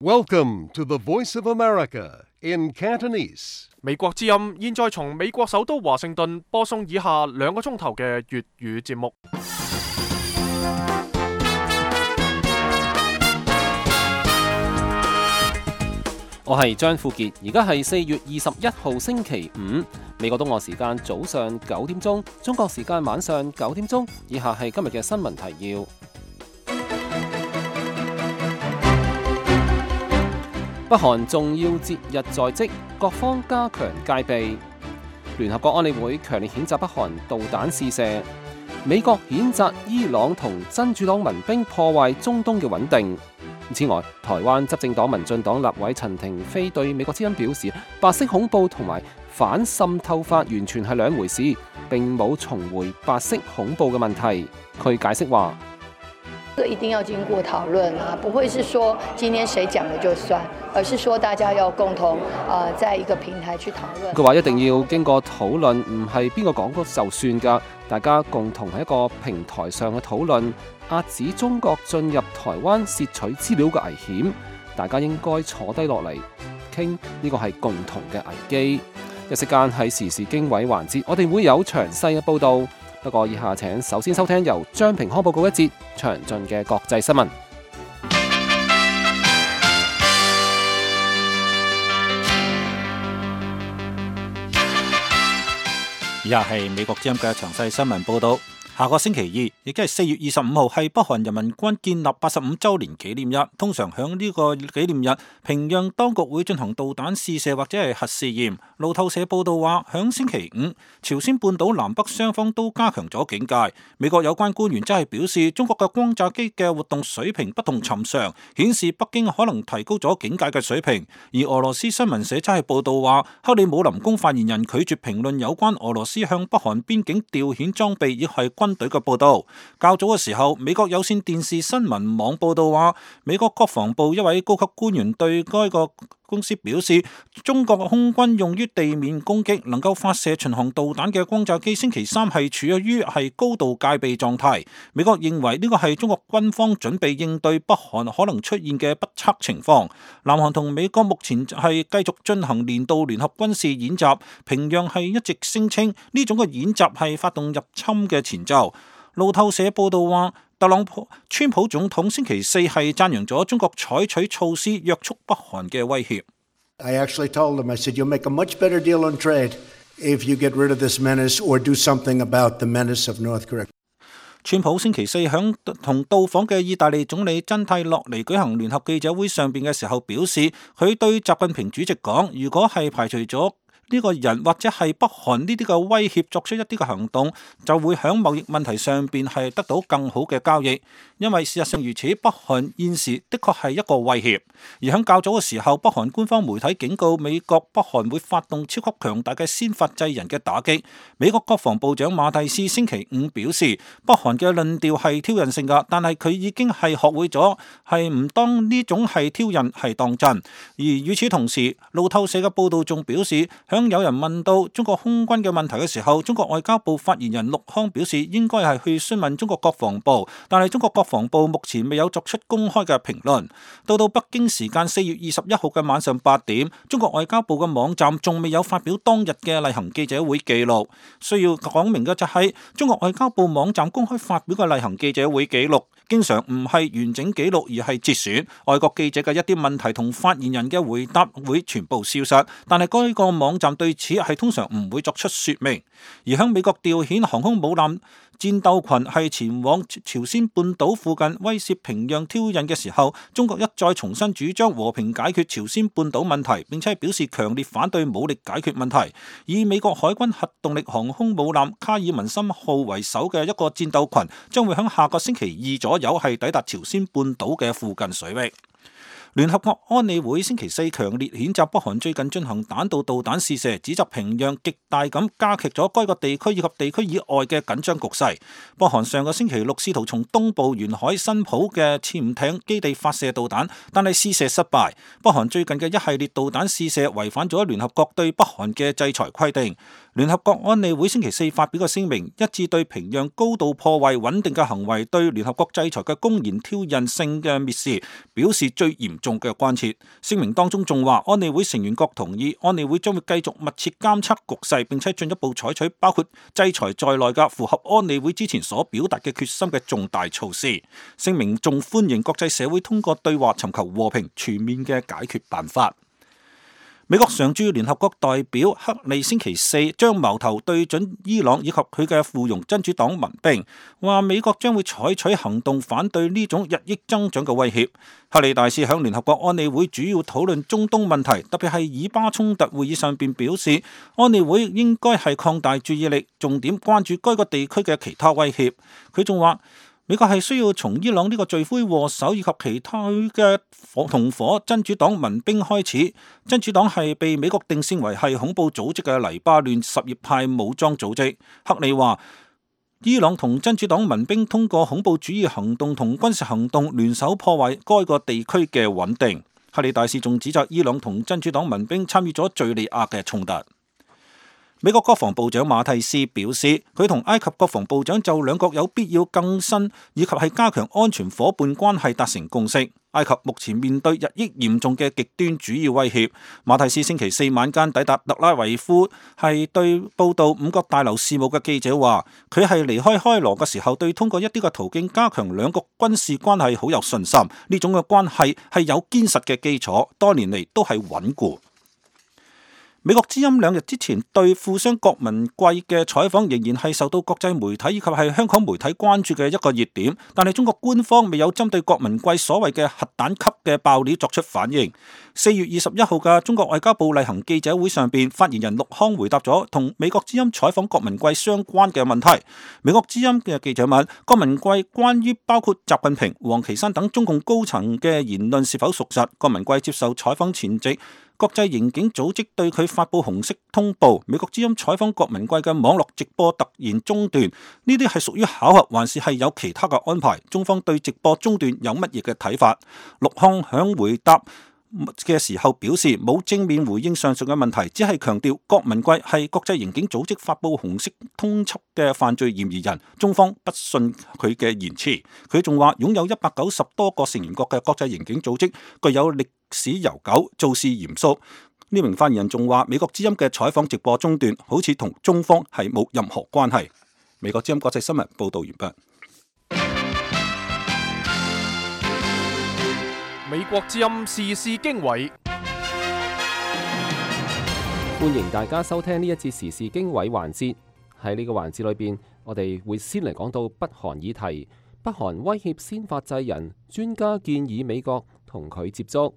Welcome to the Voice of America in Cantonese. 美國之音現在從美國首都華盛頓播送以下2個鐘頭嘅粵語節目。我係張富傑，而家係4月21號星期五，美國東岸時間早上9點鐘，中國時間晚上9點鐘。以下係今日嘅新聞提要。北韓重要節日在即，各方加強戒備。聯合國安理會強烈譴責北韓導彈試射。美國譴責伊朗同真主黨民兵破壞中東嘅穩定。此外，台灣執政黨民進黨立委陳亭妃對美國之音表示，白色恐怖同埋反滲透法完全係兩回事，並冇重回白色恐怖嘅問題。佢解釋話：一定要經過討論啊，不會是說今天誰講的就算，而是說大家要共同在一個平台去討論。佢話一定要經過討論，唔係邊個講咗就算㗎，大家共同喺一個平台上嘅討論，遏止中國進入台灣竊取資料嘅危險。大家應該坐低落嚟傾，呢個係共同嘅危機。一息間喺時事經緯環節，我哋會有詳細嘅報導。不過以下請首先收聽由張平康報告一節詳盡嘅國際新聞。以下係美國之音嘅詳細新聞報導。下個星期二，亦即係4月25號，係北韓人民軍建立85週年紀念日。通常響呢個紀念日，平壤當局會進行導彈試射或者係核試驗。路透社報道話，響星期五，朝鮮半島南北雙方都加強咗警戒。美國有關官員則係表示，中國嘅轟炸機嘅活動水平不同尋常，顯示北京可能提高咗警戒嘅水平。而俄羅斯新聞社則係報道話，克里姆林宮發言人拒絕評論有關俄羅斯向北韓邊境調遣裝備，亦係軍隊嘅報道。較早嘅時候，美國有線電視新聞網報道話，美國國防部一位高級官員對該個公司表示，中國空軍用於地面攻擊能夠發射巡航導彈嘅轟炸機星期三係處於高度戒備狀態。美國認為呢個係中國軍方準備應對北韓可能出現嘅不測情況。南韓同美國目前係繼續進行年度聯合軍事演習，平壤係一直聲稱呢種嘅演習係發動入侵嘅前奏。路透社報道話，川普總統星期四係讚揚咗中國採取措施約束北韓嘅威脅。I actually told him, I said, you'll make a much better deal on trade if you get rid of this menace or do something about the menace of North Korea. 川普星期四響同到訪嘅意大利總理真蒂洛尼舉行聯合記者會上邊嘅時候表示，佢對習近平主席講，如果係排除咗呢個人或者係北韓呢啲嘅威脅作出一啲嘅行動，就會喺貿易問題上邊係得到更好嘅交易。因為事實上如此，北韓現時的確係一個威脅。而喺較早嘅時候，北韓官方媒體警告美國北韓會發動超級強大嘅先發制人嘅打擊。美國國防部長馬蒂斯星期五表示，北韓嘅論調係挑釁性㗎，但係佢已經係學會咗係唔當呢種係挑釁係當真。而與此同時，路透社嘅報道仲表示，響有人問到中國空軍嘅問題嘅時候，中國外交部發言人陸康表示應該係去詢問中國國防部，但係中國國防部目前未有作出公開嘅評論。到北京時間4月21號嘅晚上8點，中國外交部嘅網站仲未有發表當日嘅例行記者會記錄。需要講明嘅就係，中國外交部網站公開發表嘅例行記者會記錄，經常唔係完整記錄，而係節選。外國記者嘅一啲問題同發言人嘅回答會全部消失，但係該個網站對此係通常唔會作出說明。而喺美國調遣航空母艦戰鬥群係前往朝鮮半島附近威懾平壤挑釁嘅時候，中國一再重新主張和平解決朝鮮半島問題，並且表示強烈反對武力解決問題。以美國海軍核動力航空母艦卡爾文森號為首嘅一個戰鬥群，將會喺下個星期二左右係抵達朝鮮半島嘅附近水域。聯合國安理會星期四強烈譴責北韓最近進行彈道導彈試射，指責平壤極大咁加劇咗該個地區以及地區以外嘅緊張局勢。北韓上個星期六試圖從東部沿海新浦嘅潛艇基地發射導彈，但係試射失敗。北韓最近嘅一系列導彈試射違反咗聯合國對北韓嘅制裁規定。聯合國安理會星期四發表嘅聲明，一致對平壤高度破壞穩定嘅行為對聯合國制裁嘅公然挑釁性嘅蔑視表示最嚴重嘅關切。聲明當中仲話，安理會成員國同意安理會將會繼續密切監測局勢，並且進一步採取包括制裁在內嘅符合安理會之前所表達嘅決心嘅重大措施。聲明仲歡迎國際社會通過對話尋求和平全面嘅解決辦法。美國常駐聯合國代表克利星期四將矛頭對準伊朗以及佢嘅附庸真主黨民兵，話美國將會採取行動反對呢種日益增長嘅威脅。克利大使響聯合國安理會主要討論中東問題，特別係以巴衝突會議上邊表示，安理會應該係擴大注意力，重點關注該個地區嘅其他威脅。佢仲話，美國係需要從伊朗呢個罪魁禍首以及其他嘅同伙真主黨民兵開始。真主黨係被美國定性為係恐怖組織嘅黎巴嫩什葉派武裝組織。克里話，伊朗同真主黨民兵通過恐怖主義行動同軍事行動聯手破壞該個地區嘅穩定。克里大使仲指責伊朗同真主黨民兵參與咗敘利亞嘅衝突。美國國防部長馬蒂斯表示，佢同埃及國防部長就兩國有必要更新以及係加強安全夥伴關係達成共識。埃及目前面對日益嚴重嘅極端主義威脅。馬蒂斯星期四晚間抵達特拉維夫，係對報道五角大樓事務嘅記者話，佢係離開開羅嘅時候，對通過一啲嘅途徑加強兩國軍事關係好有信心。呢種嘅關係係有堅實嘅基礎，多年嚟都係穩固。美國之音兩日之前對富商郭文貴嘅採訪仍然係受到國際媒體以及係香港媒體關注嘅一個熱點，但係中國官方未有針對郭文貴所謂嘅核彈級嘅爆料作出反應。4月21號嘅中國外交部例行記者會上邊，發言人陸康回答咗同美國之音採訪郭文貴相關嘅問題。美國之音嘅記者問郭文貴關於包括習近平、王岐山等中共高層嘅言論是否屬實。郭文貴接受採訪前夕，國際刑警組織對佢發布紅色通報，美國之音採訪郭文貴嘅網絡直播突然中斷，呢啲係屬於巧合還是係有其他嘅安排？中方對直播中斷有乜嘢嘅睇法？陸康響回答嘅時候表示，冇正面回應上述嘅問題，只係強調郭文貴係國際刑警組織發布紅色通緝嘅犯罪嫌疑人，中方不信佢嘅言辭。佢仲話，擁有190多個成員國嘅國際刑警組織具有歷史悠久，做事嚴肅。呢名發言人仲話，美國之音嘅採訪直播中斷好似同中方係冇任何關係。美國之音國際新聞報道完畢。美國之音時事經緯，歡迎大家收聽呢一節時事經緯環節。喺呢個環節裏邊，我哋會先嚟講到北韓議題。北韓威脅先發制人，專家建議美國同佢接觸。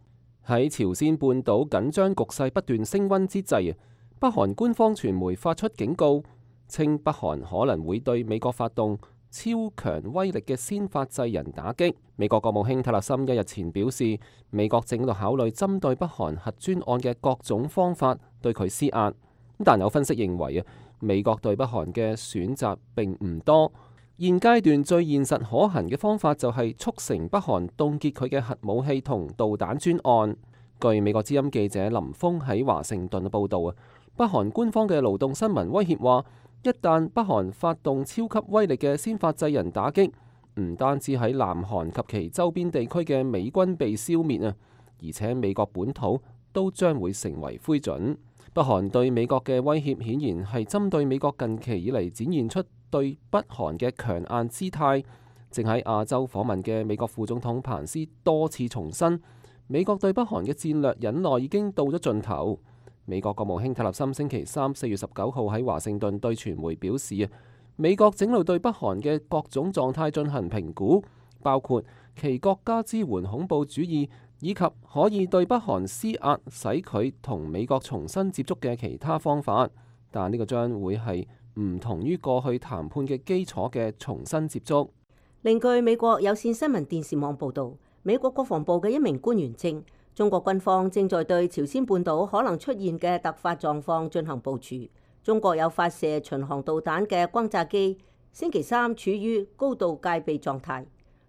喺朝鮮半島緊張局勢不斷升溫之際，北韓官方傳媒發出警告，稱北韓可能會對美國發動超強威力嘅先發制人打擊。美國國務卿塔勒森一日前表示，美國正喺度考慮針對北韓核專案嘅各種方法對佢施壓。但有分析認為美國對北韓嘅選擇並唔多。現階段最現實可行嘅方法就係促成北韓凍結佢嘅核武器同導彈專案。據美國之音記者林峰喺華盛頓嘅報導，北韓官方嘅勞動新聞威脅話，一旦北韓發動超級威力嘅先發制人打擊，唔單止喺南韓及其周邊地區嘅美軍被消滅而且美國本土都將會成為灰燼。北韓對美國嘅威脅顯然係針對美國近期以嚟展現出對北韓嘅強硬姿態。正喺亞洲訪問嘅美國副總統彭斯多次重申，美國對北韓嘅戰略忍耐已經到咗盡頭。美國國務卿塔勒森星期三4月19號喺華盛頓對傳媒表示，美國正喺度對北韓嘅各種狀態進行評估，包括其國家支援恐怖主義以及可以對北韓施壓使佢同美國重新接觸嘅其他方法。但呢個將會係唔同於過去談判嘅基礎嘅重新接觸。另據美國有線新聞電視網報導，美國國防部嘅一名官員稱，中國軍方正在對朝鮮半島可能出現嘅突發狀況進行部署。中國有發射巡航導彈嘅轟炸機，星期三處於高度戒備狀態。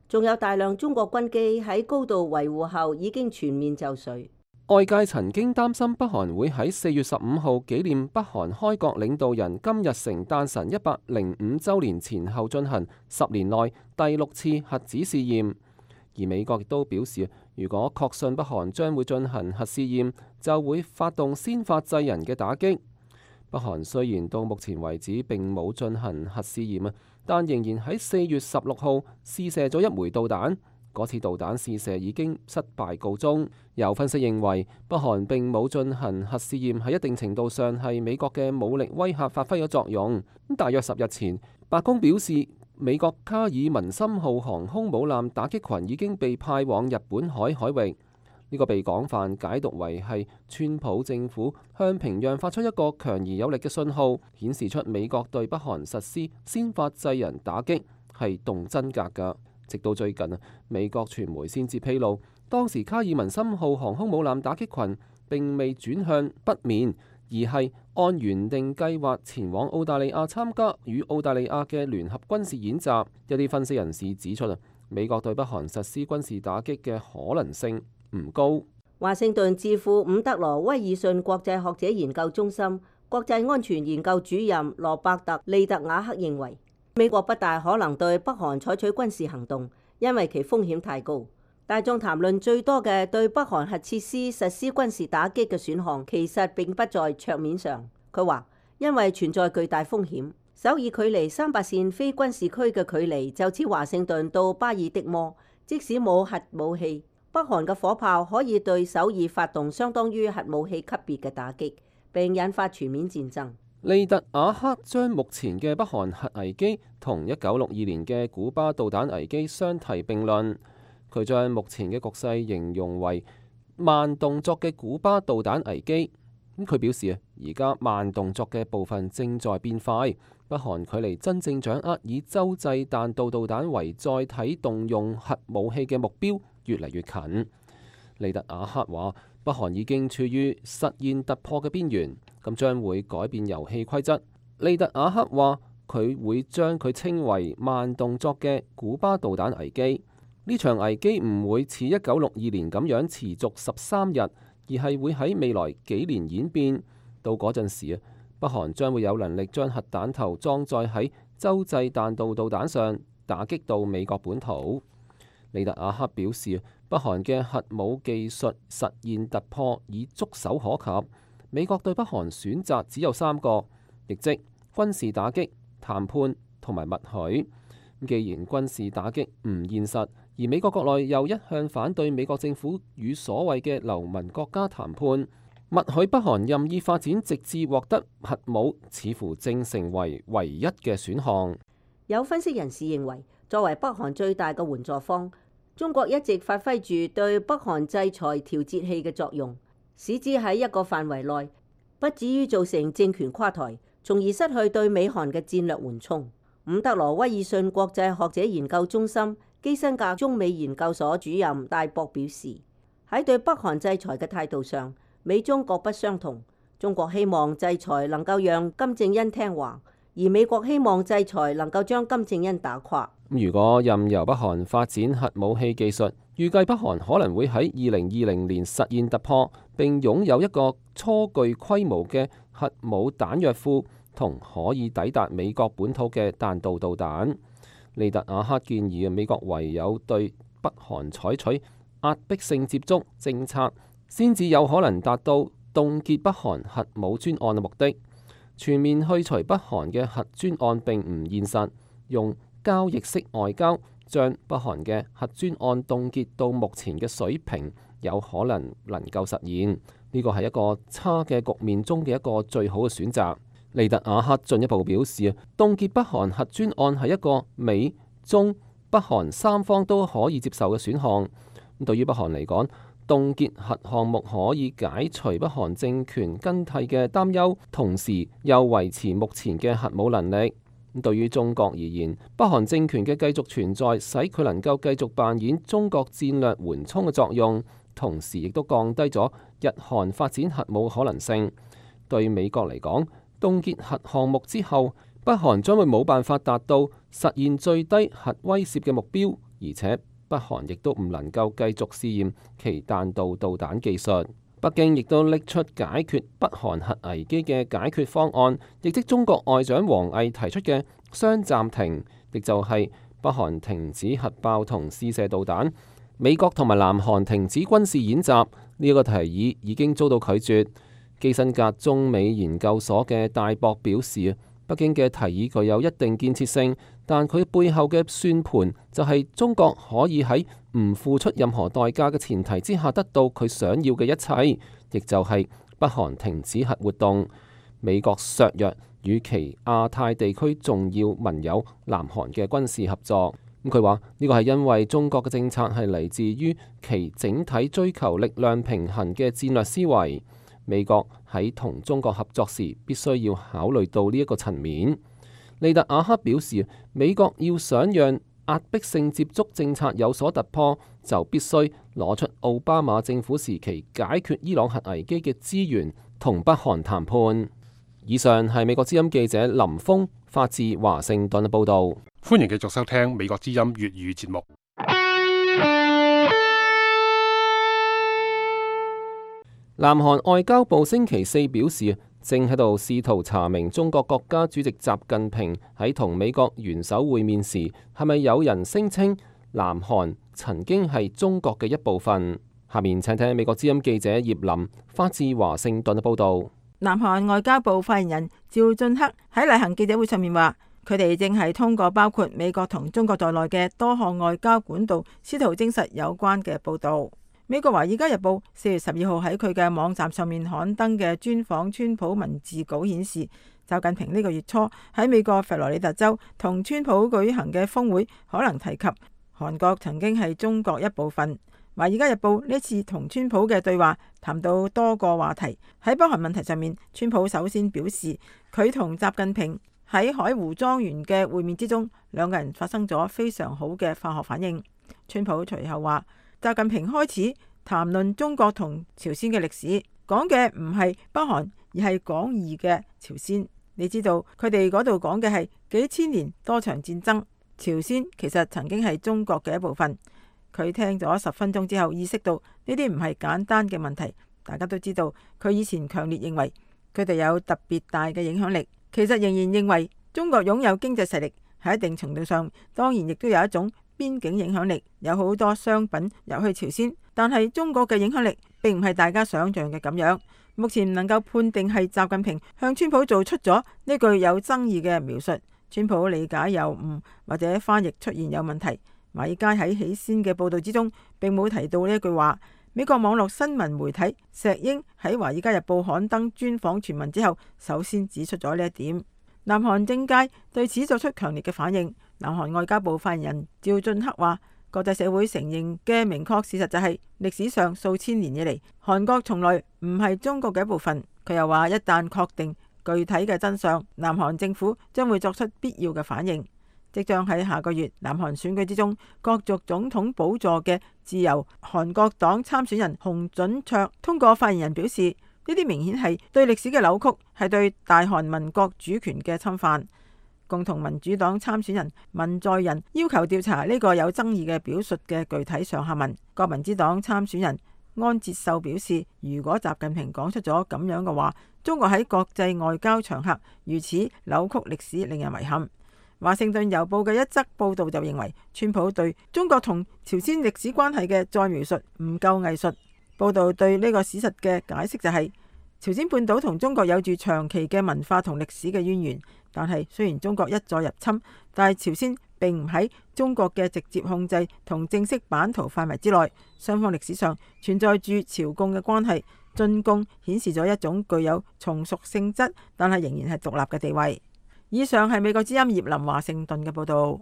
仲有大量中國軍機喺高度維護後已經全面就緒。外界曾經擔心北韓會喺4月15號紀念北韓開國領導人金日成誕辰105週年前後進行10年內第6次核子試驗，而美國亦都表示，如果確信北韓將會進行核試驗，就會發動先發制人嘅打擊。北韓雖然到目前為止並冇進行核試驗，但仍然喺4月16號試射咗一枚導彈。嗰次導彈試射已經失敗告終。有分析認為，北韓並冇進行核試驗喺一定程度上係美國嘅武力威嚇發揮咗作用。大約10日前，白宮表示美國卡爾文森號航空母艦打擊群已經被派往日本海域。呢個被廣泛解讀為係川普政府向平壤發出一個強而有力嘅信號，顯示出美國對北韓實施先發制人打擊係動真格㗎。直到最近美國傳媒先至披露，當時卡爾文森號航空母艦打擊群並未轉向北面，而係按原定計劃前往澳大利亞參加與澳大利亞嘅聯合軍事演習。一啲分析人士指出美國對北韓實施軍事打擊嘅可能性唔高。華盛頓智庫伍德羅威爾遜國際學者研究中心國際安全研究主任羅伯特利特瓦克認為，美國不大可能對北韓採取軍事行動，因為其風險太高。大眾談論最多嘅對北韓核設施實施軍事打擊嘅選項，其實並不在桌面上。佢話，因為存在巨大風險。首爾距離300線非軍事區嘅距離就似華盛頓到巴爾的摩，即使冇核武器，北韓嘅火炮可以對首爾發動相當於核武器級別嘅打擊，並引發全面戰爭。利特瓦克將目前嘅北韓核危機同1962年嘅古巴導彈危機相提並論。佢將目前嘅局勢形容為慢動作嘅古巴導彈危機。佢表示而家慢動作嘅部分正在變快，北韓距離真正掌握以洲際彈道導彈為載體動用核武器嘅目標越嚟越近。利特瓦克話，北韓已經處於實現突破嘅邊緣，咁將會改變遊戲規則。利特瓦克話，佢會將佢稱為慢動作嘅古巴導彈危機。呢場危機唔會似1962年咁樣持續13日，而係會喺未來幾年演變。到嗰陣時北韓將會有能力將核彈頭裝載喺洲際彈道導彈上，打擊到美國本土。利特瓦克表示，北韓嘅核武技術實現突破已觸手可及。美國對北韓選擇只有3個，亦即軍事打擊、談判同埋默許。既然軍事打擊唔現實，而美國國內又一向反對美國政府與所謂嘅流氓國家談判，默許北韓任意發展直至獲得核武，似乎正成為唯一嘅選項。有分析人士認為，作為北韓最大嘅援助方，中國一直發揮住對北韓制裁調節器嘅作用，使之喺一個範圍內不至於造成政權垮台，從而失去對美韓嘅戰略緩衝。伍德羅威爾遜國際學者研究中心基辛格中美研究所主任戴博表示，喺對北韓制裁嘅態度上，美中各不相同。中國希望制裁能夠讓金正恩聽話，而美國希望制裁能夠將金正恩打垮。如果任由北韓發展核武器技術，預計北韓可能會喺2020年實現突破，並擁有一個初具規模嘅核武彈藥庫同可以抵達美國本土嘅彈道導彈。利特瓦克建議美國唯有對北韓採取壓迫性接觸政策，先至有可能達到凍結北韓核武專案嘅目的。全面去除北韓嘅核專案並唔現實，用交易式外交將北韓嘅核專案凍結到目前嘅水平，有可能夠實現。呢個係一個差嘅局面中嘅一個最好嘅選擇。利特瓦克進一步表示，凍結北韓核專案係一個美中北韓三方都可以接受嘅選項。對於北韓嚟講，凍結核項目可以解除北韓政權更替嘅擔憂，同時又維持目前嘅核武能力。對於中國而言，北韓政權嘅繼續存在，使佢能夠繼續扮演中國戰略緩衝嘅作用，同時亦都降低咗日韓發展核武可能性。對美國嚟講，凍結核項目之後，北韓將會冇辦法達到實現最低核威懾嘅目標，而且北韓亦都唔能夠繼續試驗其彈道導彈技術。北京亦都拎出解決北韓核危機嘅解決方案，亦即中國外長王毅提出嘅雙暫停，亦就係北韓停止核爆同試射導彈，美國同埋南韓停止軍事演習。呢個提議已經遭到拒絕。基辛格中美研究所嘅戴博表示，北京嘅提議具有一定建設性，但佢背後嘅算盤就係中國可以喺唔付出任何代價嘅前提之下得到佢想要嘅一切，亦就係北韓停止核活動，美國削弱與其亞太地區重要盟友南韓嘅軍事合作。咁佢話呢個係因為中國嘅政策係嚟自於其整體追求力量平衡嘅戰略思維。美國喺同中國合作時，必須要考慮到呢一個層面。利特瓦克表示，美國要想讓壓迫性接觸政策有所突破，就必須攞出奧巴馬政府時期解決伊朗核危機嘅資源，同北韓談判。以上係美國之音記者林峰發自華盛頓嘅報導。歡迎繼續收聽美國之音粵語節目。南韓外交部星期四表示，正喺度試圖查明中國國家主席習近平喺同美國元首會面時，係咪有人聲稱南韓曾經係中國嘅一部分。下面請聽美國之音記者葉林發自華盛頓嘅報導。南韓外交部發言人趙俊克喺例行記者會上面話，佢哋正係通過包括美國同中國在內嘅多項外交管道，試圖證實有關嘅報導。美國《華爾街日報》4月12號喺佢嘅網站上面刊登嘅專訪川普文字稿顯示，習近平呢個月初喺美國佛羅里達州同川普舉行嘅峰會可能提及韓國曾經係中國一部分。《華爾街日報》呢次同川普嘅對話談到多個話題，喺北韓問題上面，川普首先表示佢同習近平喺海湖莊園嘅會面之中，兩個人發生咗非常好嘅化學反應。川普隨後話，習近平開始談論中國同朝鮮嘅歷史，講嘅唔係北韓，而係廣義嘅朝鮮。你知道佢哋嗰度講嘅係幾千年多場戰爭，朝鮮其實曾經係中國嘅一部分。佢聽咗10分鐘之後，意識到呢啲唔係簡單嘅問題。大家都知道佢以前強烈認為佢哋有特別大嘅影響力，其實仍然認為中國擁有經濟實力，喺一定程度上當然亦都有一種邊境影響力，有好多商品入去朝鮮，但係中國嘅影響力並唔係大家想象嘅咁樣。目前唔能夠判定係習近平向川普做出咗呢句有爭議嘅描述，川普理解有誤或者翻譯出現有問題。華爾街喺起先嘅報道之中並冇提到呢一句話。美國網絡新聞媒體石英喺《華爾街日報》刊登專訪全文之後，首先指出咗呢一點。南韓政界對此作出強烈嘅反應。南韓外交部發言人趙俊克話，國際社會承認嘅明確事實就係歷史上數千年以嚟，韓國從來唔係中國嘅一部分。佢又話，一旦確定具體嘅真相，南韓政府將會作出必要嘅反應。即將喺下個月南韓選舉之中角逐總統寶座嘅自由韓國黨參選人洪準卓通過發言人表示，呢啲明顯係對歷史嘅扭曲，係對大韓民國主權嘅侵犯。共同民主黨參選人文在寅要求調查呢個有爭議嘅表述嘅具體上下文。國民之黨參選人安哲秀表示，如果習近平講出咗咁樣嘅話，中國喺國際外交場合如此扭曲歷史，令人遺憾。華盛頓郵報嘅一則報道就認為，川普對中國同朝鮮歷史關係嘅再描述唔夠藝術。報道對呢個事實嘅解釋就係，朝鮮半島同中國有住長期嘅文化同歷史嘅淵源，但係雖然中國一再入侵，但係朝鮮並唔喺中國嘅直接控制同正式版圖範圍之內。雙方歷史上存在住朝貢嘅關係，進貢顯示咗一種具有從屬性質，但係仍然係獨立嘅地位。以上係美國之音葉林華盛頓嘅報道。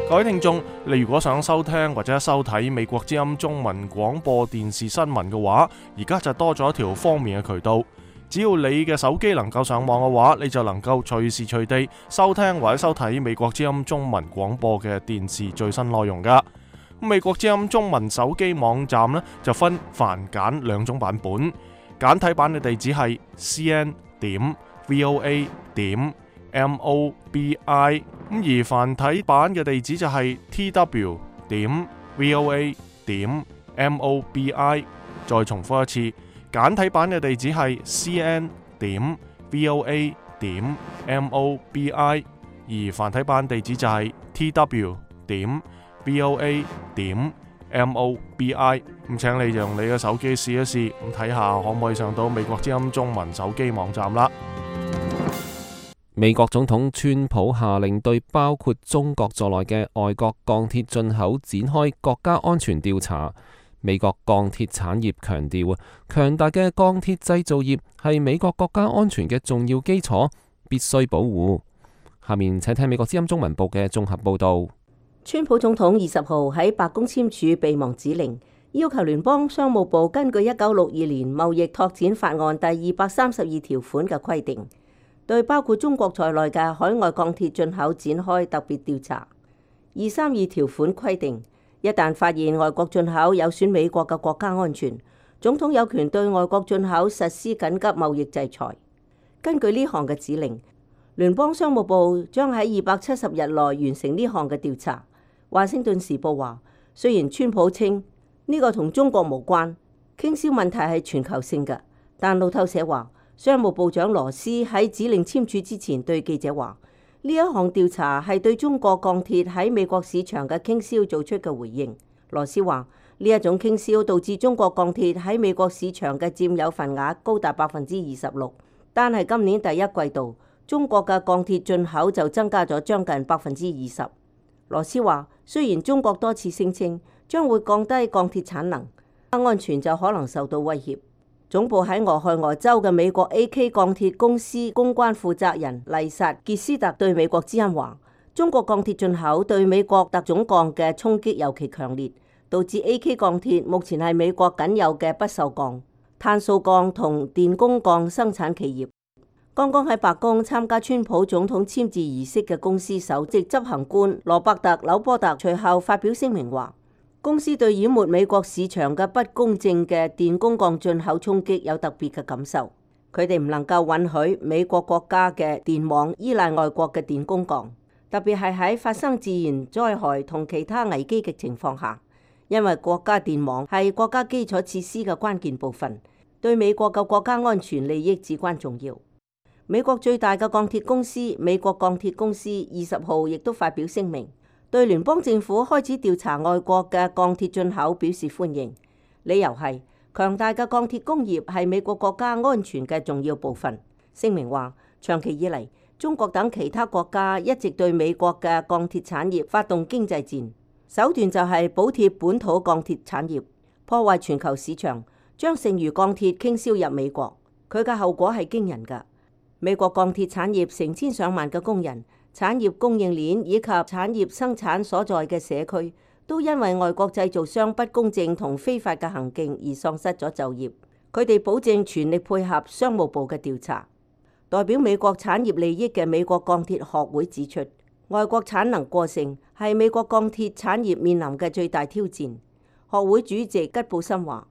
各位聽眾，你如果想收聽或者收睇美國之音中文廣播電視新聞嘅話，而家就多咗一條方便嘅渠道。只要你嘅手機能夠上網嘅話，你就能夠隨時隨地收聽或者收睇美國之音中文廣播嘅電視最新內容噶。美國之音中文手機網站呢，就分繁簡兩種版本，簡體版嘅地址係 cn.voa.mobi， 而繁體版嘅地址就係 tw.voa.mobi。再重複一次，簡體版嘅地址係 cn.voa.mobi， 而繁體版地址就係 tw.voa.mobi。咁請你用你嘅手機試一試，咁睇下可唔可以上到美國之音中文手機網站啦。美國總統川普下令對包括中國在內嘅外國鋼鐵進口展開國家安全調查。美國鋼鐵產業強調，強大嘅鋼鐵製造業係美國國家安全嘅重要基礎，必須保護。下面請聽美國之音中文部嘅綜合報道。川普總統20號喺白宮簽署備忘指令，要求聯邦商務部根據1962年貿易拓展法案第232條款嘅規定，對包括中國在內嘅海外鋼鐵進口展開特別調查。232條款規定，一旦發現外國進口有損美國嘅國家安全，總統有權對外國進口實施緊急貿易制裁。根據呢項嘅指令，聯邦商務部將喺270日內完成呢項嘅調查。華盛頓時報話，雖然川普稱呢個同中國無關，傾銷問題係全球性嘅，但路透社話，商務部長羅斯喺指令簽署之前對記者話，呢一項調查係對中國鋼鐵喺美國市場嘅傾銷做出嘅回應。羅斯話，呢一種傾銷導致中國鋼鐵喺美國市場嘅佔有份額高達26%，但係今年第一季度中國嘅鋼鐵進口就增加咗將近20%。羅斯話，雖然中國多次聲稱將會降低鋼鐵產能，安全就可能受到威脅。總部喺俄亥俄州嘅美國 AK 鋼鐵公司公關負責人麗薩傑斯特對美國之音話，中國鋼鐵進口對美國特種鋼嘅衝擊尤其強烈，導致 AK 鋼鐵目前係美國僅有嘅不鏽鋼、碳素鋼同電工鋼生產企業。剛剛喺白宮參加川普總統簽字儀式嘅公司首席執行官羅伯特·紐波特隨後發表聲明話，公司對淹沒美國市場嘅不公正嘅電工鋼進口衝擊有特別嘅感受。佢哋唔能夠允許美國國家嘅電網依賴外國嘅電工鋼，特別係喺發生自然災害同其他危機嘅情況下，因為國家電網係國家基礎設施嘅關鍵部分，對美國嘅國家安全利益至關重要。美國最大嘅鋼鐵公司美國鋼鐵公司20號亦都發表聲明，對聯邦政府開始調查外國嘅鋼鐵進口表示歡迎，理由係強大嘅鋼鐵工業係美國國家安全嘅重要部分。聲明話，長期以嚟，中國等其他國家一直對美國嘅鋼鐵產業發動經濟戰，手段就係補貼本土鋼鐵產業，破壞全球市場，將剩餘鋼鐵傾銷入美國。佢嘅後果係驚人㗎。美國鋼鐵產業成千上萬嘅工人、產業供應鏈以及產業生產所在嘅社區，都因為外國製造商不公正同非法嘅行徑而喪失咗就業。佢哋保證全力配合商務部嘅調查。代表美國產業利益嘅美國鋼鐵學會指出，外國產能過剩係美國鋼鐵產業面臨嘅最大挑戰。學會主席吉布森話，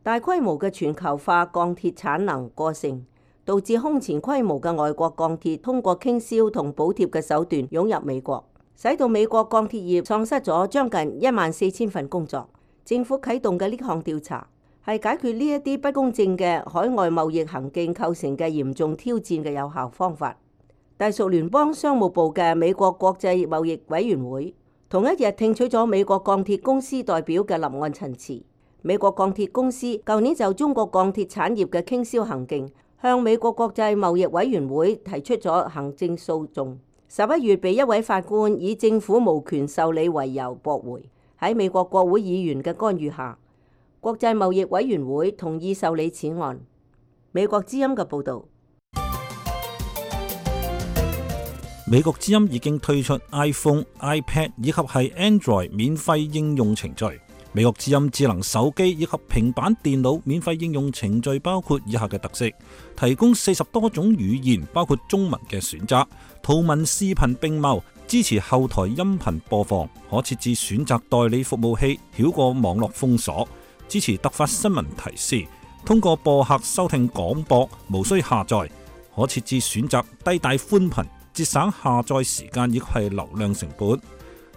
大規模嘅全球化鋼鐵產能過剩，導致空前規模嘅外國鋼鐵通過傾銷同補貼嘅手段湧入美國，使到美國鋼鐵業喪失咗將近14000份工作。政府啟動嘅呢項調查係解決呢一啲不公正嘅海外貿易行徑構成嘅嚴重挑戰嘅有效方法。隸屬聯邦商務部嘅美國國際貿易委員會同一日聽取咗美國鋼鐵公司代表嘅立案陳詞。美國鋼鐵公司舊年就中國鋼鐵產業嘅傾銷行徑向美國國際貿易委員會提出咗行政訴訟，11月被一位法官以政府無權受理為由駁回。喺美國國會議員嘅干預下，國際貿易委員會同意受理此案。美國之音嘅報導。美國之音已經推出 iPhone、iPad 以及係 Android 免費應用程序。美國之音智能手機以及平板電腦免費應用程序包括以下嘅特色：提供40多種語言，包括中文嘅選擇，圖文視頻並茂，支持後台音頻播放，可設置選擇代理服務器，繞過網絡封鎖，支持突發新聞提示，通過播客收聽廣播，無需下載，可設置選擇低帶寬頻，節省下載時間以及係流量成本。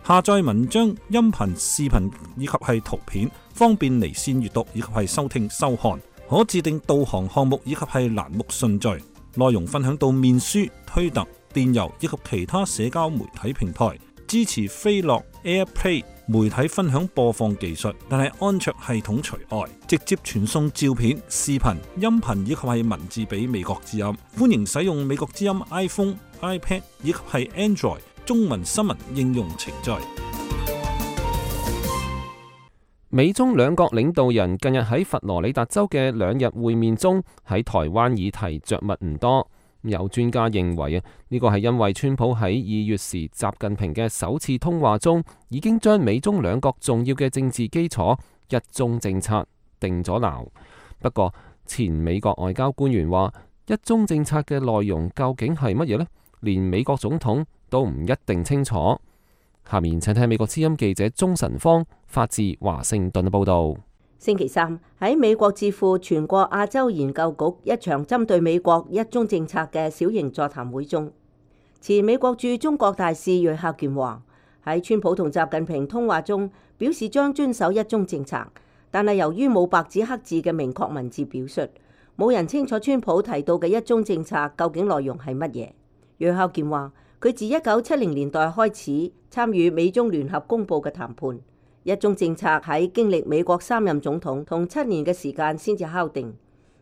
下載文章、音頻、視頻以及係圖片，方便離線閱讀以及係收聽收看，可自定導航項目以及係欄目順序，內容分享到面書、推特、電郵以及其他社交媒體平台，支持飛樂 AirPlay 媒體分享播放技術，但係安卓系統除外，直接傳送照片、視頻、音頻以及係文字俾美國之音。歡迎使用美國之音 iPhone、iPad 以及係 Android 中文新聞應用程序。美中兩國領導人近日喺佛羅里達州嘅2日會面中，喺台灣議題着墨唔多。有專家認為呢個係因為川普喺2月時習近平嘅首次通話中，已經將美中兩國重要嘅政治基礎一中政策定咗錨。不過前美國外交官員話，一中政策嘅內容究竟係乜嘢呢？連美國總統都唔一定清楚。下面請聽美國之音記者鍾晨芳發自華盛頓嘅報道。星期三喺美國智庫全國亞洲研究局一場針對美國一中政策嘅小型座談會中，前美國駐中國大使芮孝健話，喺川普同習近平通話中表示將遵守一中政策，但係由於冇白紙黑字嘅明確文字表述，冇人清楚川普提到嘅一中政策究竟內容係乜嘢。芮孝健話，佢自1970年代開始參與美中聯合公佈嘅談判。一中政策喺經歷美國3任總統同7年嘅時間先至敲定，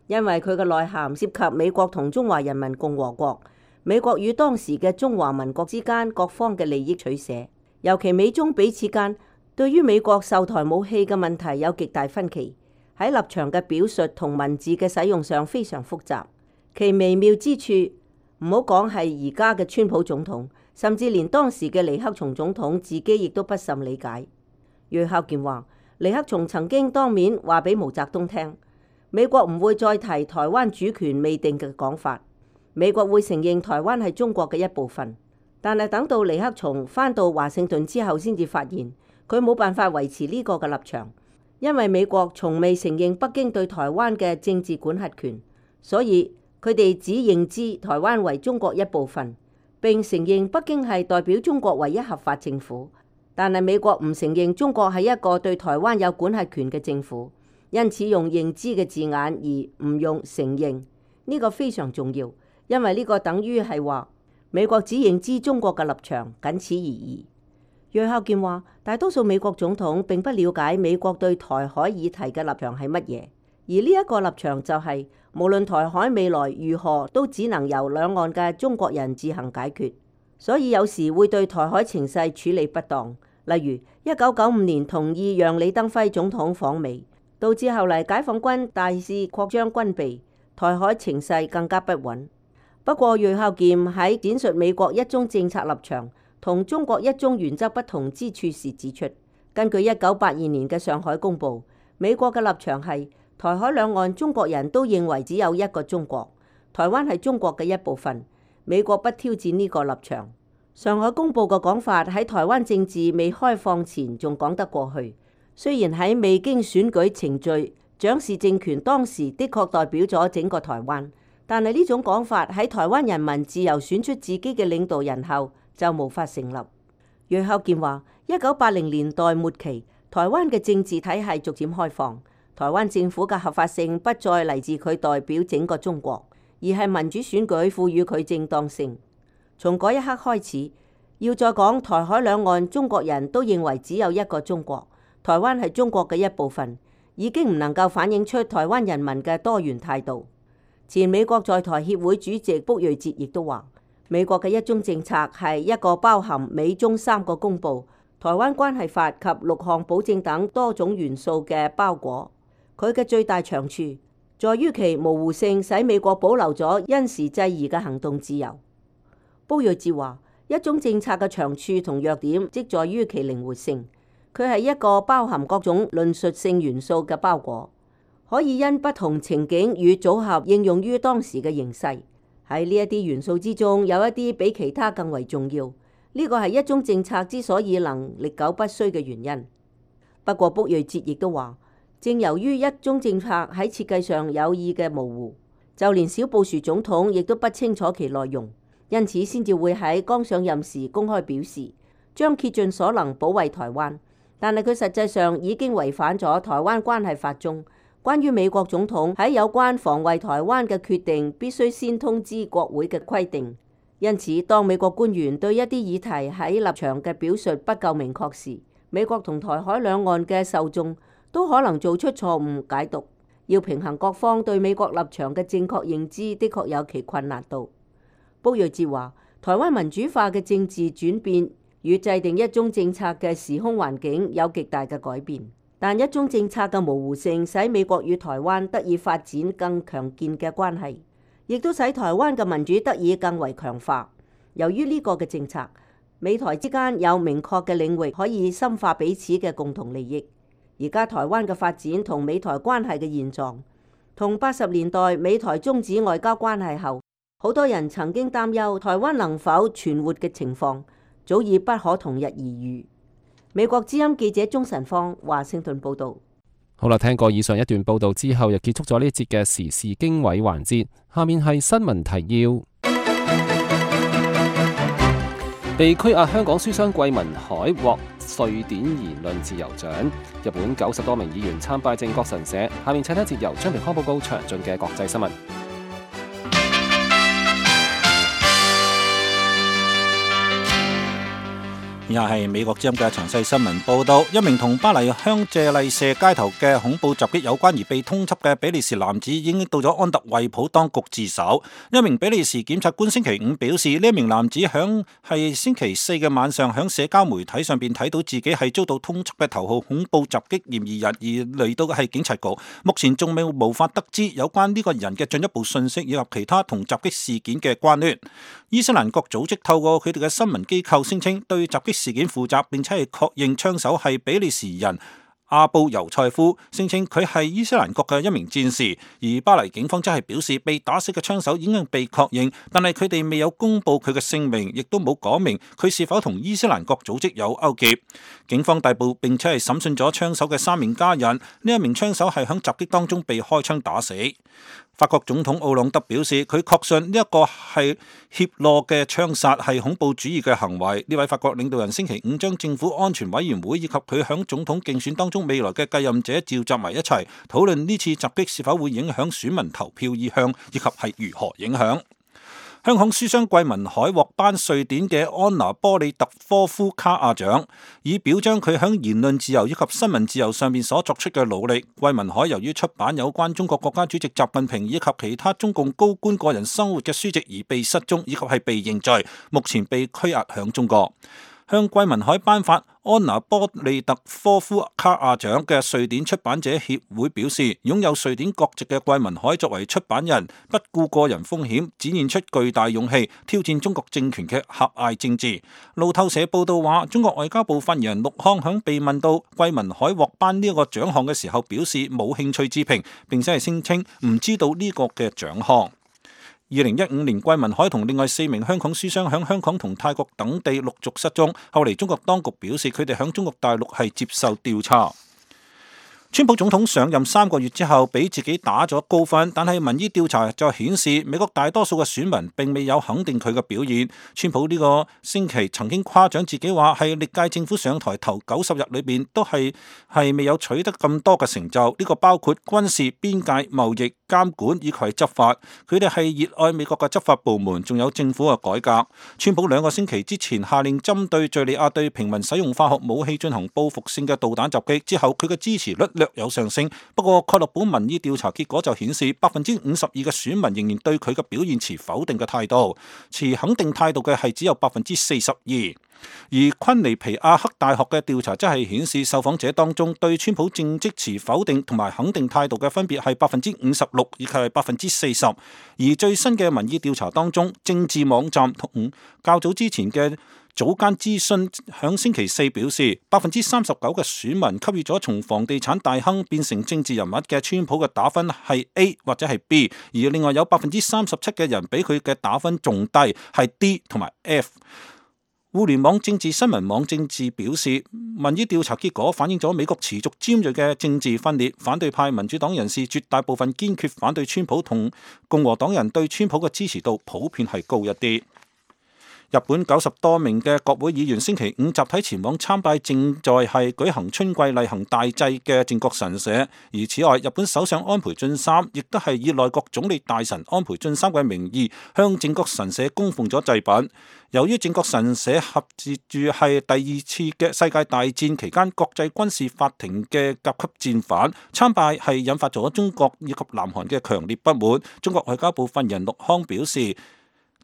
因為佢嘅內涵涉及美國同中華人民共和國、美國與當時嘅中華民國之間各方嘅利益取捨，尤其美中彼此間對於美國售台武器嘅問題有極大分歧，喺立場嘅表述同文字嘅使用上非常複雜，其微妙之處唔好講係而家嘅川普總統，甚至連當時嘅尼克松總統自己亦都不甚理解。芮孝健話，尼克松曾經當面話俾毛澤東聽，美國唔會再提台灣主權未定嘅講法，美國會承認台灣係中國嘅一部分。但係等到尼克松返到華盛頓之後，先至發現佢冇辦法維持呢個嘅立場，因為美國從未承認北京對台灣嘅政治管轄權，所以佢哋只認知台灣為中國一部分，並承認北京係代表中國唯一合法政府。但係美國唔承認中國係一個對台灣有管轄權嘅政府，因此用認知嘅字眼而唔用承認，呢個非常重要，因為呢個等於係話美國只認知中國嘅立場，僅此而已。芮孝健話，大多數美國總統並不了解美國對台海議題嘅立場係乜嘢，而呢一個立場就係無論台海未來如何，都只能由兩岸嘅中國人自行解決，所以有時會對台海情勢處理不當。例如1995年同意讓李登輝總統訪美，導致後嚟解放軍大肆擴張軍備，台海情勢更加不穩。不過芮孝健喺闡述美國一中政策立場同中國一中原則不同之處時指出，根據1982年嘅上海公報，美國嘅立場係台海兩岸中國人都認為只有一個中國，台灣係中國嘅一部分，美國不挑戰呢個立場。上海公報嘅講法喺台灣政治未開放前仲講得過去，雖然喺未經選舉程序，蔣氏政權當時的確代表咗整個台灣，但係呢種講法喺台灣人民自由選出自己嘅領導人後就無法成立。芮孝健話，1980年代末期，台灣嘅政治體系逐漸開放，台灣政府嘅合法性不再嚟自佢代表整個中國，而係民主選舉賦予佢正當性。從嗰一刻開始，要再講台海兩岸中國人都認為只有一個中國，台灣係中國嘅一部分，已經唔能夠反映出台灣人民嘅多元態度。前美國在台協會主席卜瑞哲亦都話，美國嘅一中政策係一個包含美中3個公報、台灣關係法及6項保證等多種元素嘅包裹。佢嘅最大長處在於其模糊性，使美國保留咗因時制宜嘅行動自由。卜瑞哲話，一中政策嘅長處同弱點即在於其靈活性，佢係一個包含各種論述性元素嘅包裹，可以因不同情景與組合應用於當時嘅形勢。喺呢一啲元素之中，有一啲比其他更為重要，呢個係一中政策之所以能歷久不衰嘅原因。不過卜瑞哲亦都話，正由於一中政策喺設計上有意嘅模糊，就連小布殊總統亦都不清楚其內容。因此先至會喺剛上任時公開表示，將竭盡所能保衛台灣，但係佢實際上已經違反咗台灣關係法中關於美國總統喺有關防衛台灣嘅決定必須先通知國會嘅規定。因此，當美國官員對一啲議題喺立場嘅表述不夠明確時，美國同台海兩岸嘅受眾都可能做出錯誤解讀。要平衡各方對美國立場嘅正確認知，的確有其困難度。卜睿哲話：台灣民主化嘅政治轉變與制定一中政策嘅時空環境有極大嘅改變，但一中政策嘅模糊性使美國與台灣得以發展更強健嘅關係，亦都使台灣嘅民主得以更為強化。由於呢個嘅政策，美台之間有明確嘅領域可以深化彼此嘅共同利益。而家台灣嘅發展同美台關係嘅現狀，同80年代美台終止外交關係後，好多人曾經擔憂台灣能否存活嘅情況，早已不可同日而語。美國之音記者鍾晨芳華盛頓報導。好啦，聽過以上一段報導之後，又結束咗呢一節嘅時事經緯環節。下面係新聞提要。被拘押香港書商桂民海獲瑞典言論自由獎。日本90多名議員參拜靖國神社。下面請睇一節由張平康報告詳盡嘅國際新聞。以下係美國之音嘅詳細新聞報道。一名同巴黎香榭麗舍街頭嘅恐怖襲擊有關而被通緝嘅比利時男子已經到咗安特衛普當局自首。一名比利時檢察官星期五表示，呢一名男子係星期四嘅晚上喺社交媒體上邊睇到自己係遭到通緝嘅頭號恐怖襲擊嫌疑人，而嚟到嘅係警察局。目前仲未無法得知有關呢個人嘅進一步信息以及其他同襲擊事件嘅關聯。伊斯蘭國組織透過佢哋嘅新聞機構聲稱對襲擊事件負責，並且係確認槍手係比利時人阿布尤塞夫，聲稱佢係伊斯蘭國嘅一名戰士。而巴黎警方則係表示，被打死嘅槍手已經被確認，但係佢哋未有公布佢嘅姓名，亦都冇講明佢是否同伊斯蘭國組織有勾結。警方逮捕並且係審訊咗槍手嘅3名家人。呢一名槍手係響襲擊當中被開槍打死。法國總統奧朗德表示，佢確信呢一個係怯懦嘅槍殺係恐怖主義嘅行為。呢位法國領導人星期五將政府安全委員會以及佢響總統競選當中未來嘅繼任者召集埋一齊，討論呢次襲擊是否會影響選民投票意向，以及係如何影響。香港書商桂民海獲頒瑞典嘅安娜波利特科夫卡亞獎，以表彰佢響言論自由以及新聞自由上面所作出嘅努力。桂民海由於出版有關中國國家主席習近平以及其他中共高官個人生活嘅書籍而被失蹤，以及係被認罪，目前被拘押響中國。向桂民海頒發安娜波利特科夫卡亞獎嘅瑞典出版者協會表示，擁有瑞典國籍嘅桂民海作為出版人，不顧個人風險，展現出巨大勇氣，挑戰中國政權嘅狹隘政治。路透社報道話，中國外交部發言人陸康響被問到桂民海獲頒呢一個獎項嘅時候，表示冇興趣置評，並且係聲稱唔知道呢個嘅獎項。2015年，桂民海同另外4名香港書商響香港同泰國等地陸續失蹤，後嚟中國當局表示佢哋響中國大陸係接受調查。川普總統上任3個月之後，俾自己打咗高分，但係民意調查就顯示美國大多數嘅選民並未有肯定佢嘅表現。川普呢個星期曾經誇獎自己話係歷屆政府上台頭90日裏邊都係未有取得咁多嘅成就，呢個包括軍事、邊界、貿易、監管以及執法。佢哋係熱愛美國嘅執法部門，仲有政府嘅改革。川普2個星期之前下令針對敘利亞對平民使用化學武器進行報復性嘅導彈襲擊之後，佢嘅支持率略有上升。不過蓋洛普民意調查結果就顯示52%嘅選民仍然對佢嘅表現持否定嘅態度，持肯定態度嘅係只有42%。而昆尼皮亞克大學嘅調查則係顯示，受訪者當中對川普政績持否定同埋肯定態度嘅分別係56%以及係40%。而最新嘅民意調查當中，政治網站同較早之前嘅早間諮詢響星期四表示，39%嘅選民給予咗從房地產大亨變成政治人物嘅川普嘅打分係 A 或者係 B， 而另外有37%嘅人比佢嘅打分仲低，係 D 同埋 F。互聯網政治新聞網政治表示，民意調查結果反映咗美國持續尖銳嘅政治分裂，反對派民主黨人士絕大部分堅決反對川普，同共和黨人對川普嘅支持度普遍係高一啲。日本90多名嘅國會議員星期五集體前往參拜正在係舉行春季例行大祭嘅靖國神社，而此外，日本首相安倍晉三亦都係以內閣總理大臣安倍晉三嘅名義向靖國神社供奉咗祭品。由於靖國神社合接住係第二次嘅世界大戰期間國際軍事法庭嘅甲級戰犯，參拜係引發咗中國以及南韓嘅強烈不滿。中國外交部發言人陸康表示，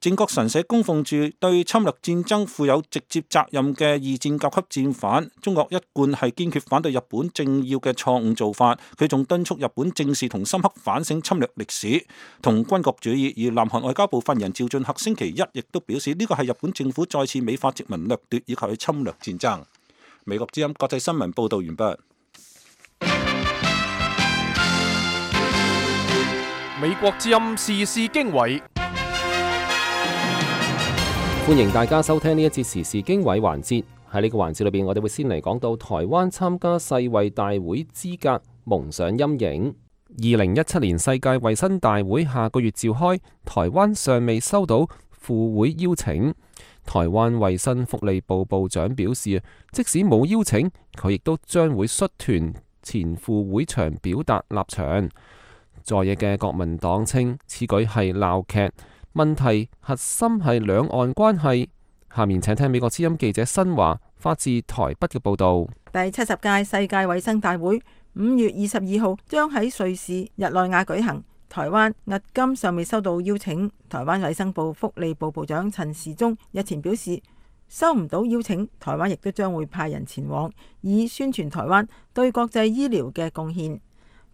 靖國神社供奉住對侵略戰爭負有直接責任嘅二戰甲級戰犯，中國一貫係堅決反對日本政要嘅錯誤做法。佢仲敦促日本正視同深刻反省侵略歷史同軍國主義。而南韓外交部發言人趙俊赫星期一亦都表示，呢個係日本政府再次美化殖民掠奪以及去侵略戰爭。美國之音國際新聞報道完畢。美國之音時事經緯。歡迎大家收聽呢一節時事經緯環節。喺呢個環節裏邊，我哋會先嚟講到台灣參加世衛大會資格蒙上陰影。2017年世界衛生大會下個月召開，台灣尚未收到赴會邀請。台灣衛生福利部部長表示，即使冇邀請，佢亦都將會率團前赴會場表達立場。在野嘅國民黨稱此舉係鬧劇。問題核心係兩岸關係。下面請聽美國之音記者新華發自台北嘅報道。第70屆世界衛生大會5月22號將喺瑞士日內瓦舉行。台灣迄今尚未收到邀請。台灣衛生部福利部部長陳時中日前表示，收唔到邀請，台灣亦都將會派人前往，以宣傳台灣對國際醫療嘅貢獻。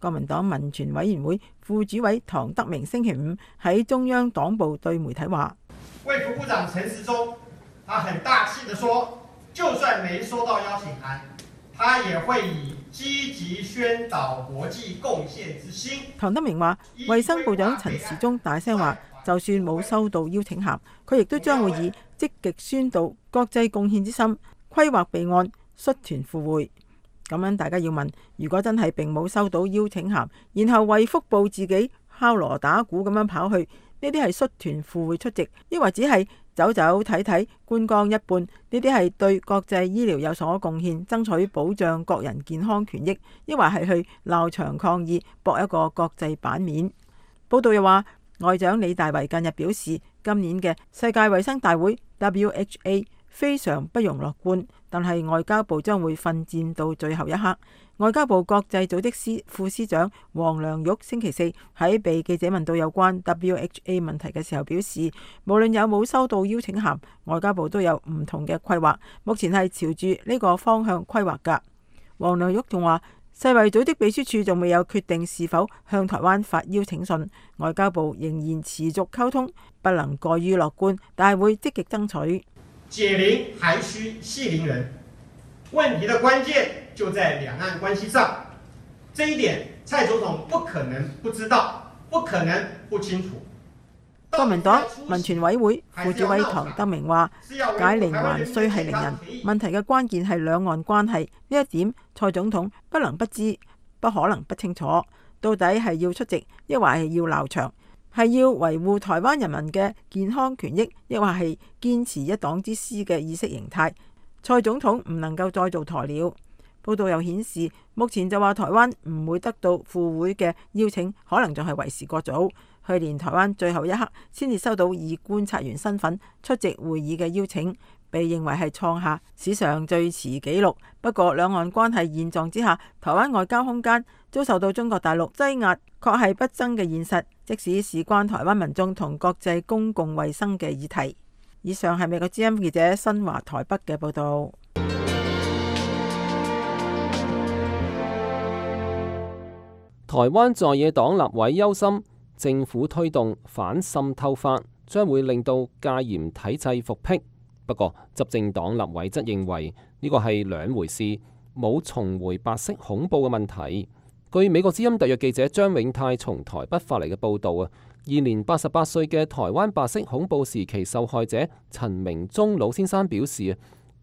國民黨民權委員會副主委唐德明星期五喺中央黨部對媒體話：衛福部長陳時中，他很大氣地說，就算沒收到邀請函，他也會以積極宣導國際貢獻之心。唐德明話，衛生部長陳時中大聲話，就算冇收到邀請函，佢亦都將會以積極宣導國際貢獻之心，規劃備案，率團赴會。咁樣大家要問，如果真係並冇收到邀請函，然後衛福部自己敲鑼打鼓咁樣跑去，呢啲係率團赴會出席，抑或只係走走睇睇觀光一半？呢啲係對國際醫療有所貢獻，爭取保障國人健康權益，抑或係去鬧場抗議，博一個國際版面？報道又話，外長李大維近日表示，今年嘅世界衛生大會 WHA 非常不容樂觀，但係外交部將會奮戰到最後一刻。外交部國際組織副司長黃良玉星期四喺被記者問到有關 WHA 問題嘅時候表示，無論有冇收到邀請函，外交部都有唔同嘅規劃，目前係朝住呢個方向規劃㗎。黃良玉仲話，世衛組織秘書處仲未有決定是否向台灣發邀請信，外交部仍然持續溝通，不能過於樂觀，但係會積極爭取。解鈴還須繫鈴人，問題的關鍵就在兩岸關係上，這一點蔡總統不可能不知道，不可能不清楚。國民黨民權委會副主委唐德明話，解鈴還須繫鈴人，問題嘅關鍵係兩岸關係，呢一點蔡總統不能不知，不可能不清楚。到底係要出席，抑或係要鬧場？係要維護台灣人民嘅健康權益，抑或係堅持一黨之師嘅意識形態？蔡總統唔能夠再做鴕鳥。報道又顯示，目前就話台灣唔會得到赴會嘅邀請，可能仲係為時過早。去年台灣最後一刻先至收到以觀察員身份出席會議嘅邀請，被認為係創下史上最遲紀錄。不過兩岸關係現狀之下，台灣外交空間遭受到中國大陸擠壓，確係不爭嘅現實，即使事關台灣民眾同國際公共衛生嘅議題。以上係美國之音記者新華台北嘅報道。台灣在野黨立委憂心，政府推動反滲透法將會令到戒嚴體制復辟。不過執政黨立委則認為呢個係兩回事，冇重回白色恐怖嘅問題。據美國之音特約記者張永泰從台北發嚟嘅報導啊，現年88歲嘅台灣白色恐怖時期受害者陳明忠老先生表示，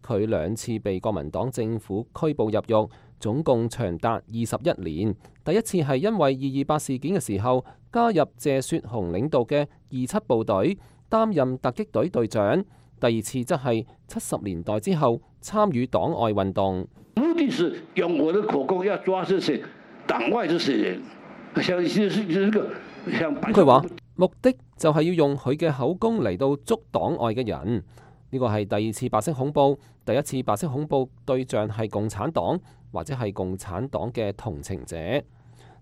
佢2次被國民黨政府拘捕入獄，總共長達21年。第一次係因為228事件嘅時候加入謝雪紅領導嘅27部隊，擔任突擊隊隊長。第二次則係70年代之後參與黨外運動。目的是用我的口供要抓這些黨外這些人，佢話目的就係要用佢嘅口供嚟到捉黨外嘅人。呢個係第二次白色恐怖，第一次白色恐怖對象係共產黨或者係共產黨嘅同情者。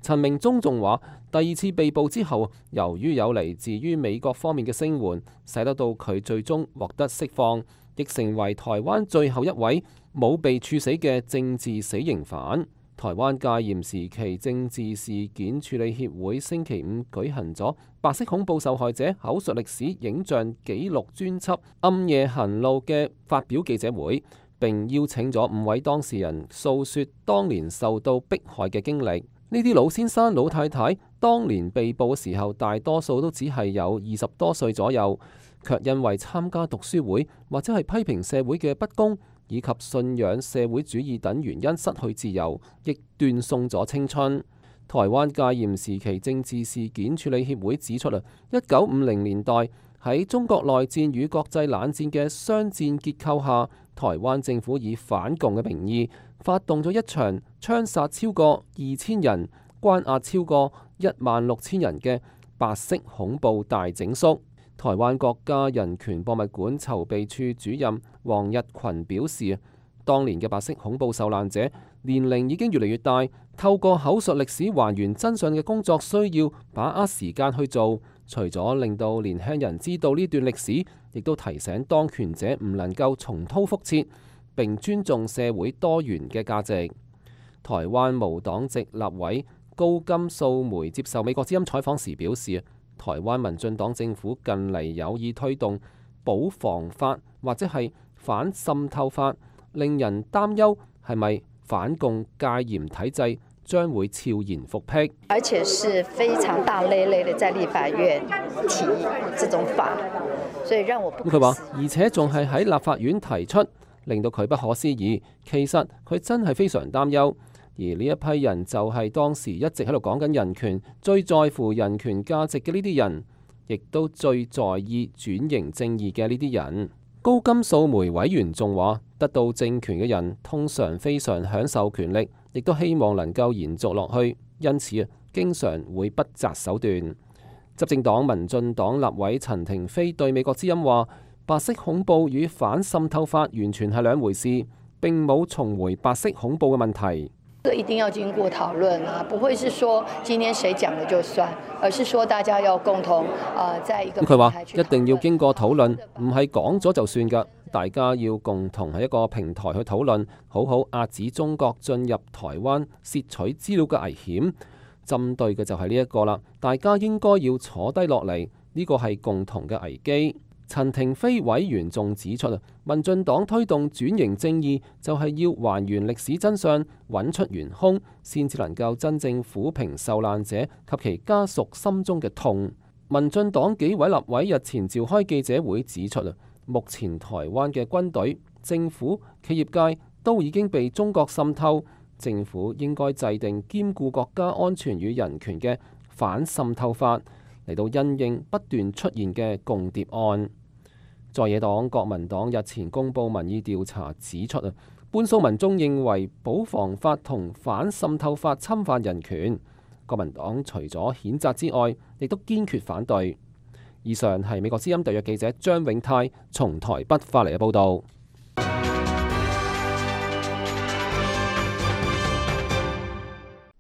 陳明忠仲話，第二次被捕之後，由於有嚟自於美國方面嘅聲援，使得到佢最終獲得釋放，亦成為台灣最後一位冇被處死嘅政治死刑犯。台灣戒嚴時期政治事件處理協會星期五舉行咗白色恐怖受害者口述歷史影像紀錄專輯《暗夜行路》嘅發表記者會，並邀請咗5位當事人訴說當年受到迫害嘅經歷。呢啲老先生老太太當年被捕嘅時候，大多數都只係有20多歲左右，卻因為參加讀書會或者係批評社會嘅不公，以及信仰社會主義等原因失去自由，亦斷送咗青春。台灣戒嚴時期政治事件處理協會指出，1950年代喺中國內戰與國際冷戰嘅雙戰結構下，台灣政府以反共嘅名義發動咗一場槍殺超過2000人、關押超過16000人嘅白色恐怖大整肅。台灣國家人權博物館籌備處主任黃日群表示，當年嘅白色恐怖受難者年齡已經越嚟越大，透過口述歷史還原真相嘅工作需要把握時間去做，除咗令到年輕人知道呢段歷史，亦都提醒當權者唔能夠重蹈覆轍，並尊重社會多元嘅價值。台灣無黨籍立委高金素梅接受美國之音採訪時表示，台灣民進黨政府近嚟有意推動保防法或者係反滲透法，令人擔憂係咪反共戒嚴體制將會悄然復辟，而且是非常大累累的在立法院提這種法，所以讓我不。佢話，而且仲係喺立法院提出，令到佢不可思議。其實佢真係非常擔憂。而呢一批人就係當時一直喺度講緊人權、最在乎人權價值嘅呢啲人，亦都最在意轉型正義嘅呢啲人。高金素梅委員仲話，得到政權嘅人通常非常享受權力，亦都希望能夠延續落去，因此經常會不擇手段。執政黨民進黨立委陳亭妃對美國之音話，白色恐怖與反滲透法完全係兩回事，並冇重回白色恐怖嘅問題。這個一定要經過討論啊，不會是說今天誰講了就算，而是說大家要共同在一個平台去討論。佢話一定要經過討論，唔係講咗就算㗎，大家要共同喺一個平台去討論，好好遏止中國進入台灣竊取資料嘅危險。針對嘅就係呢一個啦，大家應該要坐低落嚟，呢個係共同嘅危機。陳亭妃委員仲指出，民進黨推動轉型正義就係要還原歷史真相，揾出元兇，先至能夠真正撫平受難者及其家屬心中嘅痛。民進黨幾位立委日前召開記者會指出，目前台灣嘅軍隊、政府、企業界都已經被中國滲透，政府應該制定兼顧國家安全與人權嘅反滲透法，嚟到因應不斷出現嘅共諜案。在野黨國民黨日前公布民意調查指出，半數民眾認為保防法同反滲透法侵犯人權。國民黨除咗譴責之外，亦都堅決反對。以上係美國之音特約記者張永泰從台北發嚟嘅報導。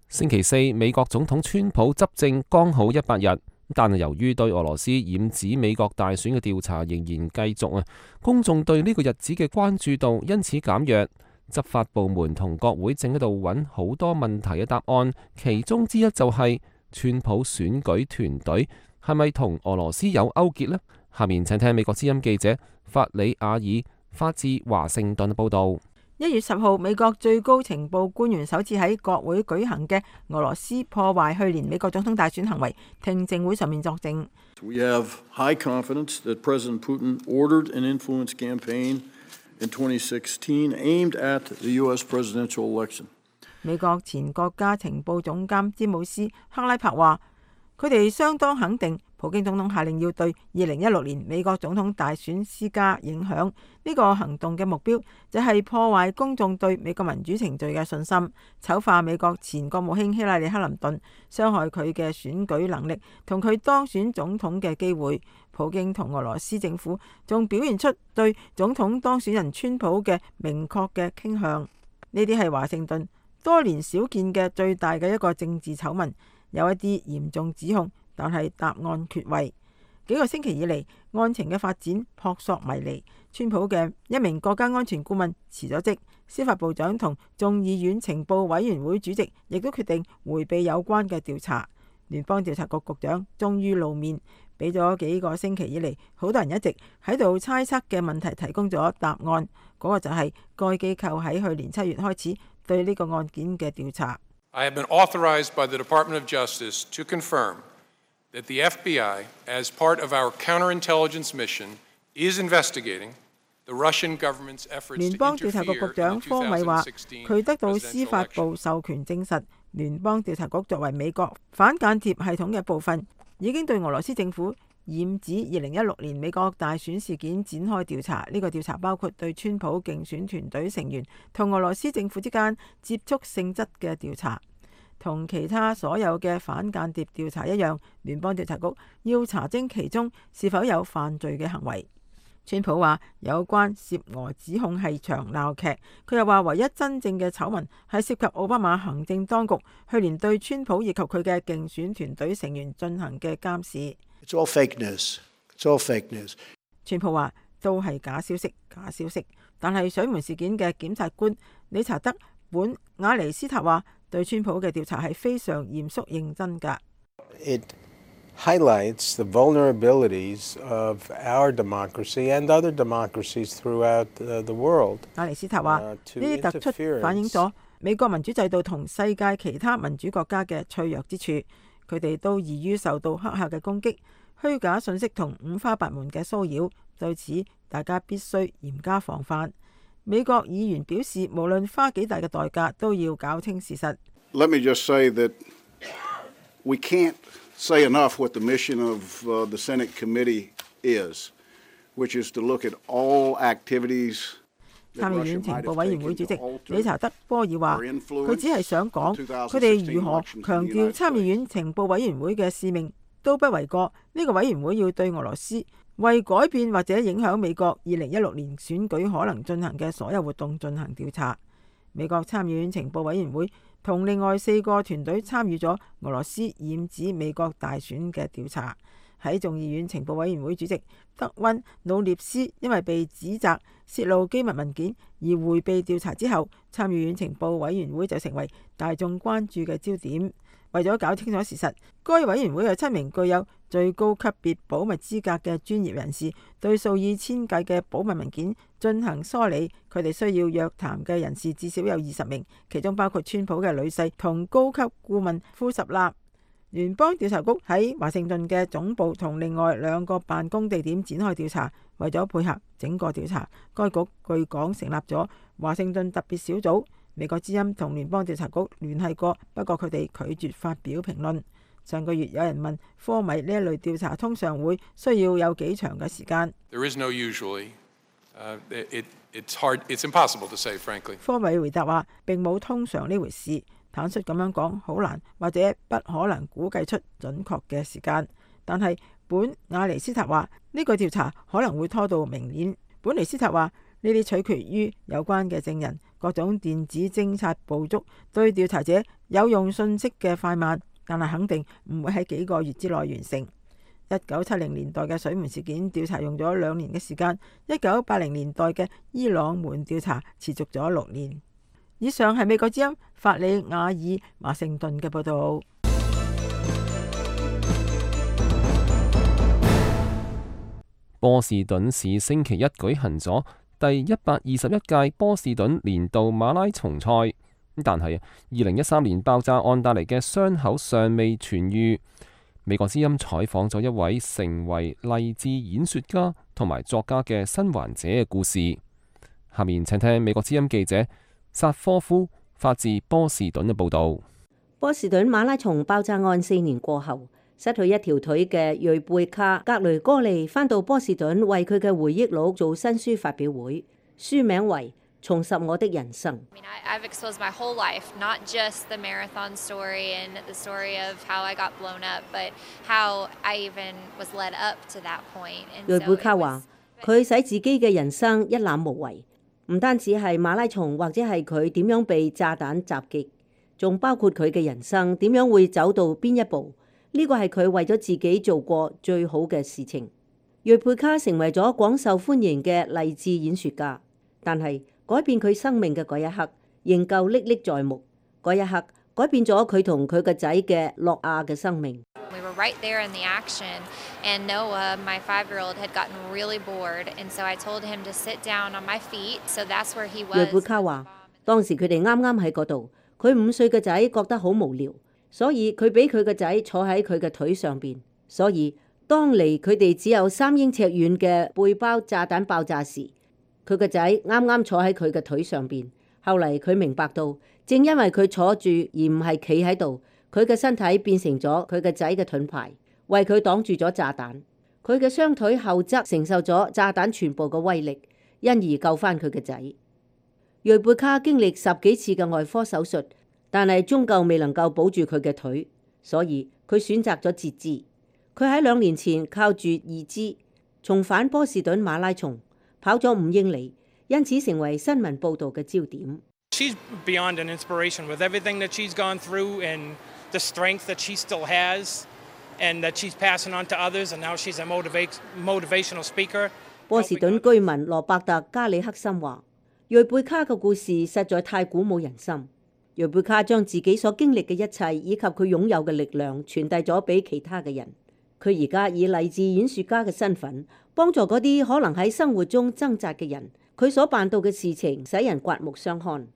星期四，美國總統川普執政剛好100日。但係由於對俄羅斯染指美國大選嘅調查仍然繼續公眾對呢個日子嘅關注度因此減弱。執法部門同國會正喺度揾好多問題嘅答案，其中之一就係川普選舉團隊係咪同俄羅斯有勾結呢？下面請聽美國之音記者法里亞爾發自華盛頓報道。1月10號，美國最高情報官員首次喺國會舉行嘅俄羅斯破壞去年美國總統大選行為聽證會上面作證。We have high confidence that President Putin ordered an influence campaign in 2016 aimed at the U.S. presidential election. 美國前國家情報總監詹姆斯克拉柏話，佢哋相當肯定普京總統下令要對2016年美國總統大選施加影響。呢個行動嘅目標就係破壞公眾對美國民主程序嘅信心，醜化美國前國務卿希拉里克林頓，傷害佢嘅選舉能力同佢當選總統嘅機會。普京同俄羅斯政府仲表現出對總統當選人川普嘅明確嘅傾向。呢啲係華盛頓多年少見嘅最大嘅一個政治醜聞，有一啲嚴重指控，但係答案缺位。幾個星期以嚟，案情嘅發展撲朔迷離。川普嘅一名國家安全顧問辭咗職，司法部長同眾議院情報委員會主席亦都決定迴避有關嘅調查。聯邦調查局局長終於露面，俾咗幾個星期以嚟好多人一直喺度猜測嘅問題提供咗答案。嗰個就係該機構喺去年7月開始對呢個案件嘅調查。I have been authorized by the Department of Justice to confirm that the FBI, as part of our counterintelligence mission, is investigating the Russian government's efforts to interfere in 2016 presidential election. 聯邦調查局局長科米話，佢得到司法部授權證實，聯邦調查局作為美國反間諜系統嘅部分，已經對俄羅斯政府染指2016年美國大選事件展開調查。呢個調查包括對川普競選團隊成員同俄羅斯政府之間接觸性質嘅調查。同其他所有嘅反間諜調查一樣，聯邦調查局要查證其中是否有犯罪嘅行為。川普話有關涉俄指控係場鬧劇，佢又話唯一真正嘅醜聞係涉及奧巴馬行政當局去年對川普以及佢嘅競選團隊成員進行嘅監視。It's all fake news. It's all fake news. 川普話都係假消息，假消息。但係水門事件嘅檢察官理查德·本雅尼斯塔話，對川普嘅調查係非常嚴肅認真㗎。It highlights the vulnerabilities of our democracy and other democracies throughout the world. 雅尼斯塔話，呢啲突出反映咗美國民主制度同世界其他民主國家嘅脆弱之處，佢哋都易於受到黑客嘅攻擊、虛假信息同五花八門嘅騷擾。對此，大家必須嚴加防範。美國議員表示，無論花幾大嘅代價，都要搞清事實。Let me just say that we can't say enough what the mission of the Senate committee is, which is to look at all activities. 參議院情報委員會主席理查德·波爾話，佢只係想講，佢哋如何強調參議院情報委員會嘅使命都不為過。呢個委員會要對俄羅斯為改變或者影響美國2016年選舉可能進行嘅所有活動進行調查。美國參議院情報委員會同另外4個團隊參與咗俄羅斯染指美國大選嘅調查。喺眾議院情報委員會主席德溫努涅斯因為被指責泄露機密文件而迴避調查之後，參議院情報委員會就成為大眾關注嘅焦點。為咗搞清楚事實，該委員會有7名具有最高級別保密資格嘅專業人士對數以千計嘅保密文件進行梳理。佢哋需要約談嘅人士至少有20名，其中包括川普嘅女婿同高級顧問庫什納。聯邦調查局喺華盛頓嘅總部同另外2個辦公地點展開調查。為咗配合整個調查，該局據講成立咗華盛頓特別小組。美國之音同聯邦調查局聯繫過，不過佢哋拒絕發表評論。上個月有人問科米呢一類調查通常會需要有幾長嘅時間。There is no usually. It's hard. It's impossible to say, frankly. 科米回答話並冇通常呢回事，坦率咁樣講，好難或者不可能估計出準確嘅時間。但係本雅尼斯塔話呢個調查可能會拖到明年。本尼斯塔話呢啲取決於有關嘅證人、各種電子偵察捕捉對調查者有用信息嘅快慢，但係肯定唔會喺幾個月之內完成。1970年代嘅水門事件調查用咗2年嘅時間，1980年代嘅伊朗門調查持續咗6年。以上係美國之音法里亞爾華盛頓嘅報導。波士頓市星期一舉行咗第121屆波士頓年度馬拉松賽，但係2013年爆炸案帶嚟嘅傷口尚未痊癒。美國之音採訪咗一位成為勵志演說家同埋作家嘅生還者嘅故事。下面請聽美國之音記者薩科夫發自波士頓嘅報導。波士頓馬拉松爆炸案4年過後，失去一條腿嘅瑞貝卡·格雷戈利返到波士頓為佢嘅回憶錄做新書發表會，書名為《重拾我的人生》。I've exposed my whole life, not just the marathon story and the story of how I got blown up, but how I even was led up to that point. 瑞貝卡話：佢使自己嘅人生一覽無遺，唔單止係馬拉松或者係佢點樣被炸彈襲擊，仲包括佢嘅人生點樣會走到邊一步。呢個係佢為咗自己做過最好嘅事情。瑞貝卡成為咗廣受歡迎嘅勵志演說家，但係改變佢生命嘅嗰一刻仍舊歷歷在目。嗰一刻改變咗佢同佢個仔嘅諾亞嘅生命。We were right there in the action, and Noah, my 5-year-old, had gotten really bored, and so I told him to sit down on my feet. So that's where he was. 瑞貝卡話：當時佢哋啱啱喺嗰度，佢5歲嘅仔覺得好無聊。所以佢俾佢個仔坐喺佢嘅腿上邊，所以當離佢哋只有3英尺遠嘅背包炸彈爆炸時，佢個仔啱啱坐喺佢嘅腿上邊。後嚟佢明白到，正因為佢坐住而唔係企喺度，佢嘅身體變成咗佢個仔嘅盾牌，為佢擋住咗炸彈。佢嘅雙腿後側承受咗炸彈全部嘅威力，因而救翻佢嘅仔。瑞貝卡經歷10幾次嘅外科手術，但係終究未能夠保住佢嘅腿，所以佢選擇咗截肢。佢喺2年前靠住義肢重返波士頓馬拉松，跑咗5英里，因此成為新聞報導嘅焦點。She's beyond an inspiration with everything that she's gone through and the strength that she still has and that she's passing on to others, and now she's a motivational speaker. 波士頓居民羅伯特加里克森話：瑞貝卡嘅故事實在太鼓舞人心。瑞貝卡將自己所經歷嘅一切以及佢擁有嘅力量傳遞咗俾其他嘅人。佢而家以勵志演說家嘅身份，幫助嗰啲可能喺生活中掙扎嘅人。佢所辦到嘅事情使人刮目相看。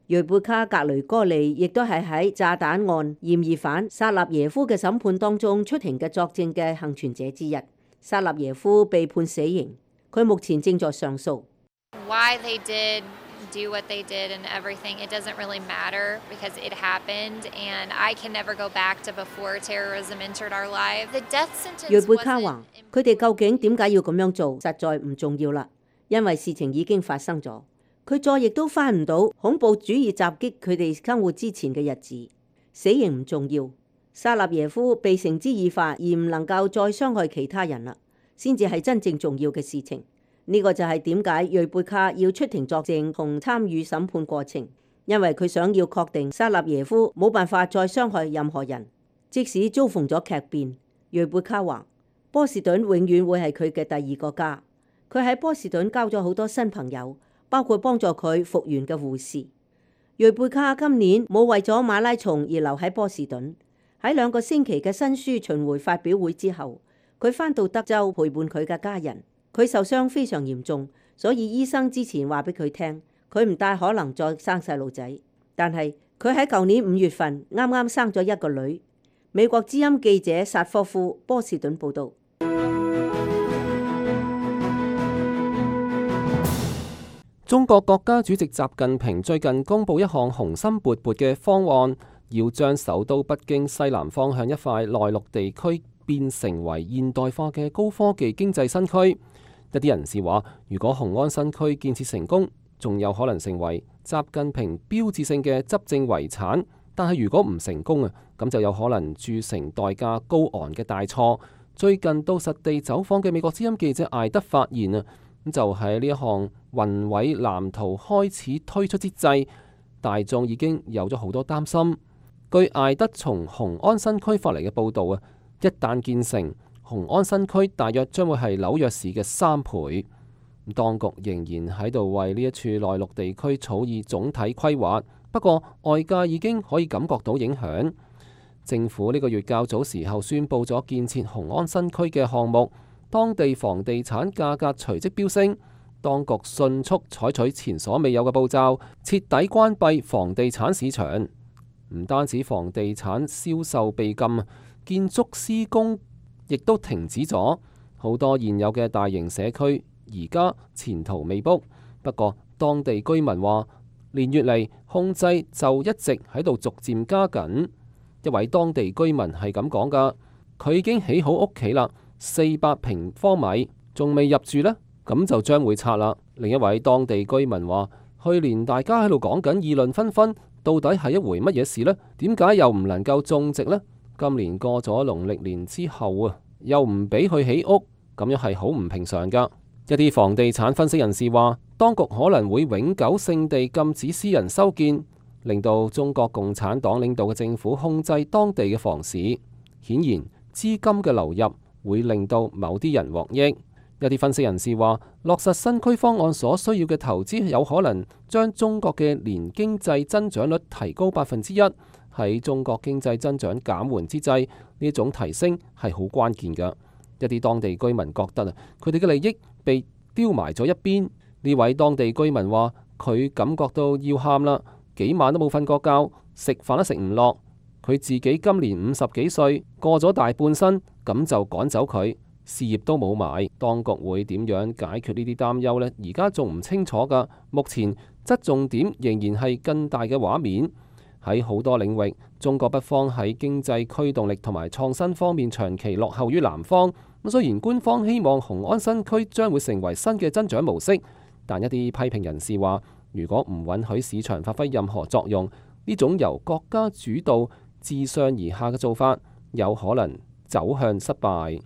瑞貝卡·格雷戈利亦都係喺炸彈案嫌疑犯薩納耶夫嘅審判當中出庭嘅作證嘅幸存者之一。薩納耶夫被判死刑，佢目前正在上訴。Why they did do what they did and everything, it doesn't really matter because it happened and I can never go back to before terrorism entered our lives. The death sentence 瑞貝卡話：佢哋究竟點解要咁樣做，實在唔重要啦，因為事情已經發生咗。佢再亦都翻唔到恐怖主義襲擊佢哋生活之前嘅日子。死刑唔重要，薩納耶夫被繩之以法而唔能夠再傷害其他人啦，先至係真正重要嘅事情。呢個就係點解瑞貝卡要出庭作證同參與審判過程，因為佢想要確定薩納耶夫冇辦法再傷害任何人，即使遭逢咗劇變。瑞貝卡話：波士頓永遠會係佢嘅第二個家。佢喺波士頓交咗好多新朋友，包括幫助佢復原嘅護士。瑞貝卡今年冇為咗馬拉松而留喺波士頓。喺2個星期嘅新書巡迴發表會之後，佢返到德州陪伴佢嘅家人。佢受傷非常嚴重，所以醫生之前話俾佢聽，佢唔大可能再生細路仔。但係佢喺舊年5月份啱啱生咗一個女。美國之音記者薩科夫波士頓報導。中國國家主席習近平最近公布一項雄心勃勃嘅方案，要將首都北京西南方向一塊內陸地區變成為現代化嘅高科技經濟新區。一啲人士話，如果雄安新區建設成功，仲有可能成為習近平標誌性嘅執政遺產。但係如果唔成功啊，咁就有可能鑄成代價高昂嘅大錯。最近到實地走訪嘅美國之音記者艾德發現啊，咁就喺呢一項宏偉藍圖開始推出之際，大眾已經有咗好多擔心。據艾德從雄安新區發嚟嘅報導啊，一旦建成，雄安新區大約將會係紐約市嘅3倍。當局仍然喺度為呢一處內陸地區草擬總體規劃，不過外界已經可以感覺到影響。政府呢個月較早時候宣布咗建設雄安新區嘅項目，當地房地產價格隨即飆升，當局迅速採取前所未有嘅步驟，徹底關閉房地產市場。唔單止房地產銷售被禁，建築施工亦都停止咗，好多現有嘅大型社區而家前途未卜。不過當地居民話，連月嚟控制就一直喺度逐漸加緊。一位當地居民係咁講㗎：佢已經起好屋企啦，400平方米，仲未入住呢，咁就將會拆啦。另一位當地居民話，去年大家喺度講緊議論紛紛，到底係一回乜嘢事呢？點解又唔能夠種植呢？今年過咗農曆年之後啊，又唔俾佢起屋，咁樣係好唔平常噶。一啲房地產分析人士話，當局可能會永久性地禁止私人修建，令到中國共產黨領導嘅政府控制當地嘅房市。顯然，資金嘅流入會令到某啲人獲益。一啲分析人士話，落實新區方案所需要嘅投資有可能將中國嘅年經濟增長率提高1%。喺中國經濟增長減緩之際，呢種提升係好關鍵㗎。一啲當地居民覺得啊，佢哋嘅利益被丟埋咗一邊。呢位當地居民話，佢感覺到要喊啦，幾晚都冇瞓過覺，食飯都食唔落。佢自己今年50幾歲，過咗大半生，咁就趕走佢，事業都冇埋。當局會點樣解決呢啲擔憂呢？而家仲唔清楚㗎。目前側重點仍然係更大嘅畫面。喺好多領域，中國北方喺經濟驅動力同埋創新方面長期落後於南方。雖然官方希望雄安新區將會成為新嘅增長模式，但一啲批評人士話，如果唔允許市場發揮任何作用，呢種由國家主導自上而下嘅做法，有可能走向失敗。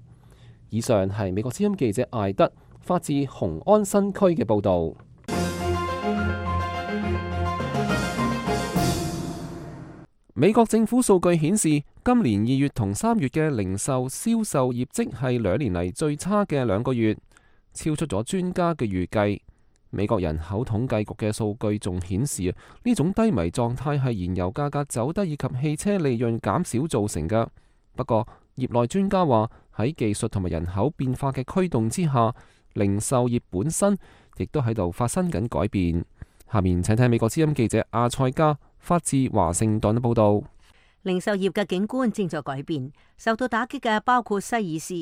以上係美國之音記者艾德發自雄安新區嘅報導。美國政府數據顯示，今年2月同3月嘅零售銷售業績係2年嚟最差嘅2個月，超出咗專家嘅預計。美國人口統計局嘅數據仲顯示呢種低迷狀態係燃油價格走低以及汽車利潤減少造成嘅。不過，業內專家話喺技術同埋人口變化嘅驅動之下，零售業本身亦都喺度發生緊改變。下面請聽美國之音記者阿塞加發自華盛頓嘅報道。零售業嘅景觀正在改變，受到打擊嘅包括西爾斯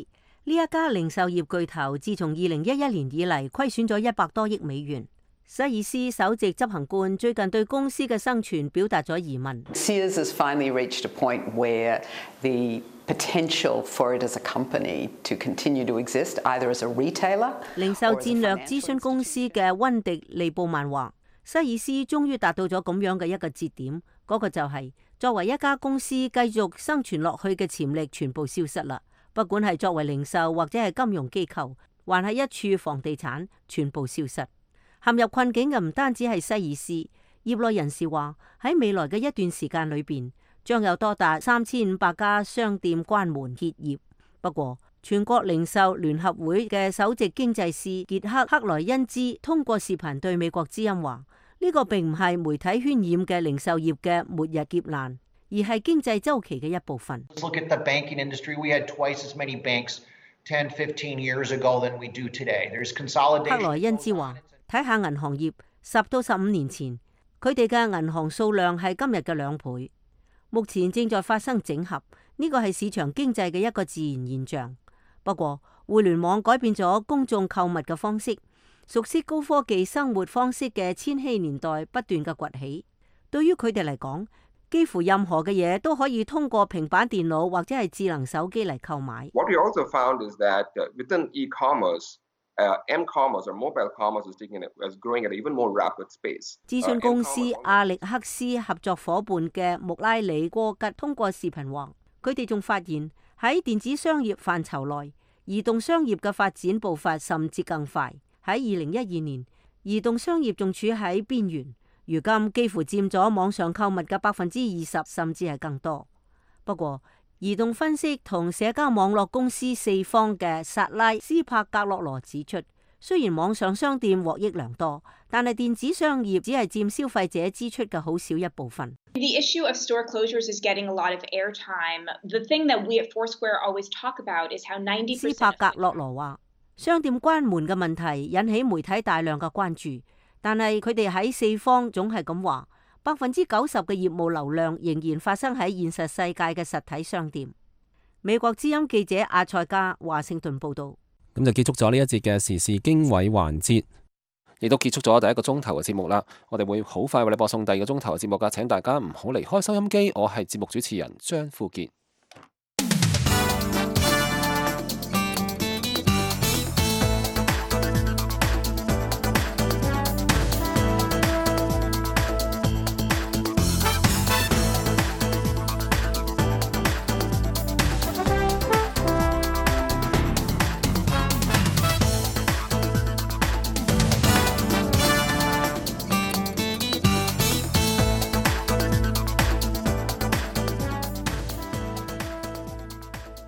呢一家零售業巨頭，自從2011年以嚟虧損咗100多億美元。西爾斯首席執行官最近對公司嘅生存表達咗疑問。Sears has finally reached a point where the potential for it as a company to continue to exist, either as a retailer。零售戰略諮詢公司嘅溫迪利布曼話，西爾斯終於達到咗咁樣嘅一個節點，嗰個就係作為一家公司繼續生存落去嘅潛力全部消失啦。不管係作為零售或者係金融機構，還係一處房地產，全部消失。陷入困境嘅唔單止係西爾斯，業內人士話喺未來嘅一段時間裏邊，將有多達3500家商店關門歇業。不過，全國零售聯合會嘅首席經濟師傑克克萊恩茲通過視頻對美國之音話：呢個並唔係媒體渲染嘅零售業嘅末日劫難，而係經濟周期嘅一部分。Look at the banking industry. We had twice as many banks 10, 15 years ago than we do today. There's consolidation. 克萊恩茲話：睇下銀行業10到15年前，佢哋嘅銀行數量係今日嘅2倍。目前正在發生整合，呢個係市場經濟嘅一個自然現象。不過，互聯網改變咗公眾購物嘅方式，熟悉高科技生活方式嘅千禧年代不斷嘅崛起。對於佢哋嚟講，幾乎任何嘅嘢都可以通過平板電腦或者係智能手機嚟購買。What we also found is that within e-commerce, m-commerce or mobile commerce is growing at an even more rapid pace。諮詢公司阿力克斯合作夥伴嘅穆拉里戈吉通過視頻話，佢哋仲發現喺電子商業範疇內，移動商業嘅發展步伐甚至更快。喺2012年，移動商業仲處喺邊緣，如今幾乎佔咗網上購物嘅20%，甚至係更多。不過，移動分析同社交網絡公司4方嘅薩拉斯帕格洛羅指出，雖然網上商店獲益良多，但係電子商業只係佔消費者支出嘅好少一部分。The issue of store closures is getting a lot of airtime. The thing that we at Foursquare always talk about is how 90%。斯帕格洛羅話，商店關門嘅問題引起媒體大量嘅關注，但係佢哋喺4方總係咁話。90%嘅業務流量仍然發生喺現實世界嘅實體商店。美國之音記者阿塞加華盛頓報道。咁就結束咗呢一節嘅時事經緯環節，亦都結束咗第1個鐘頭嘅節目啦。我哋會好快為你播送第2個鐘頭嘅節目噶，請大家唔好離開收音機。我係節目主持人張富傑。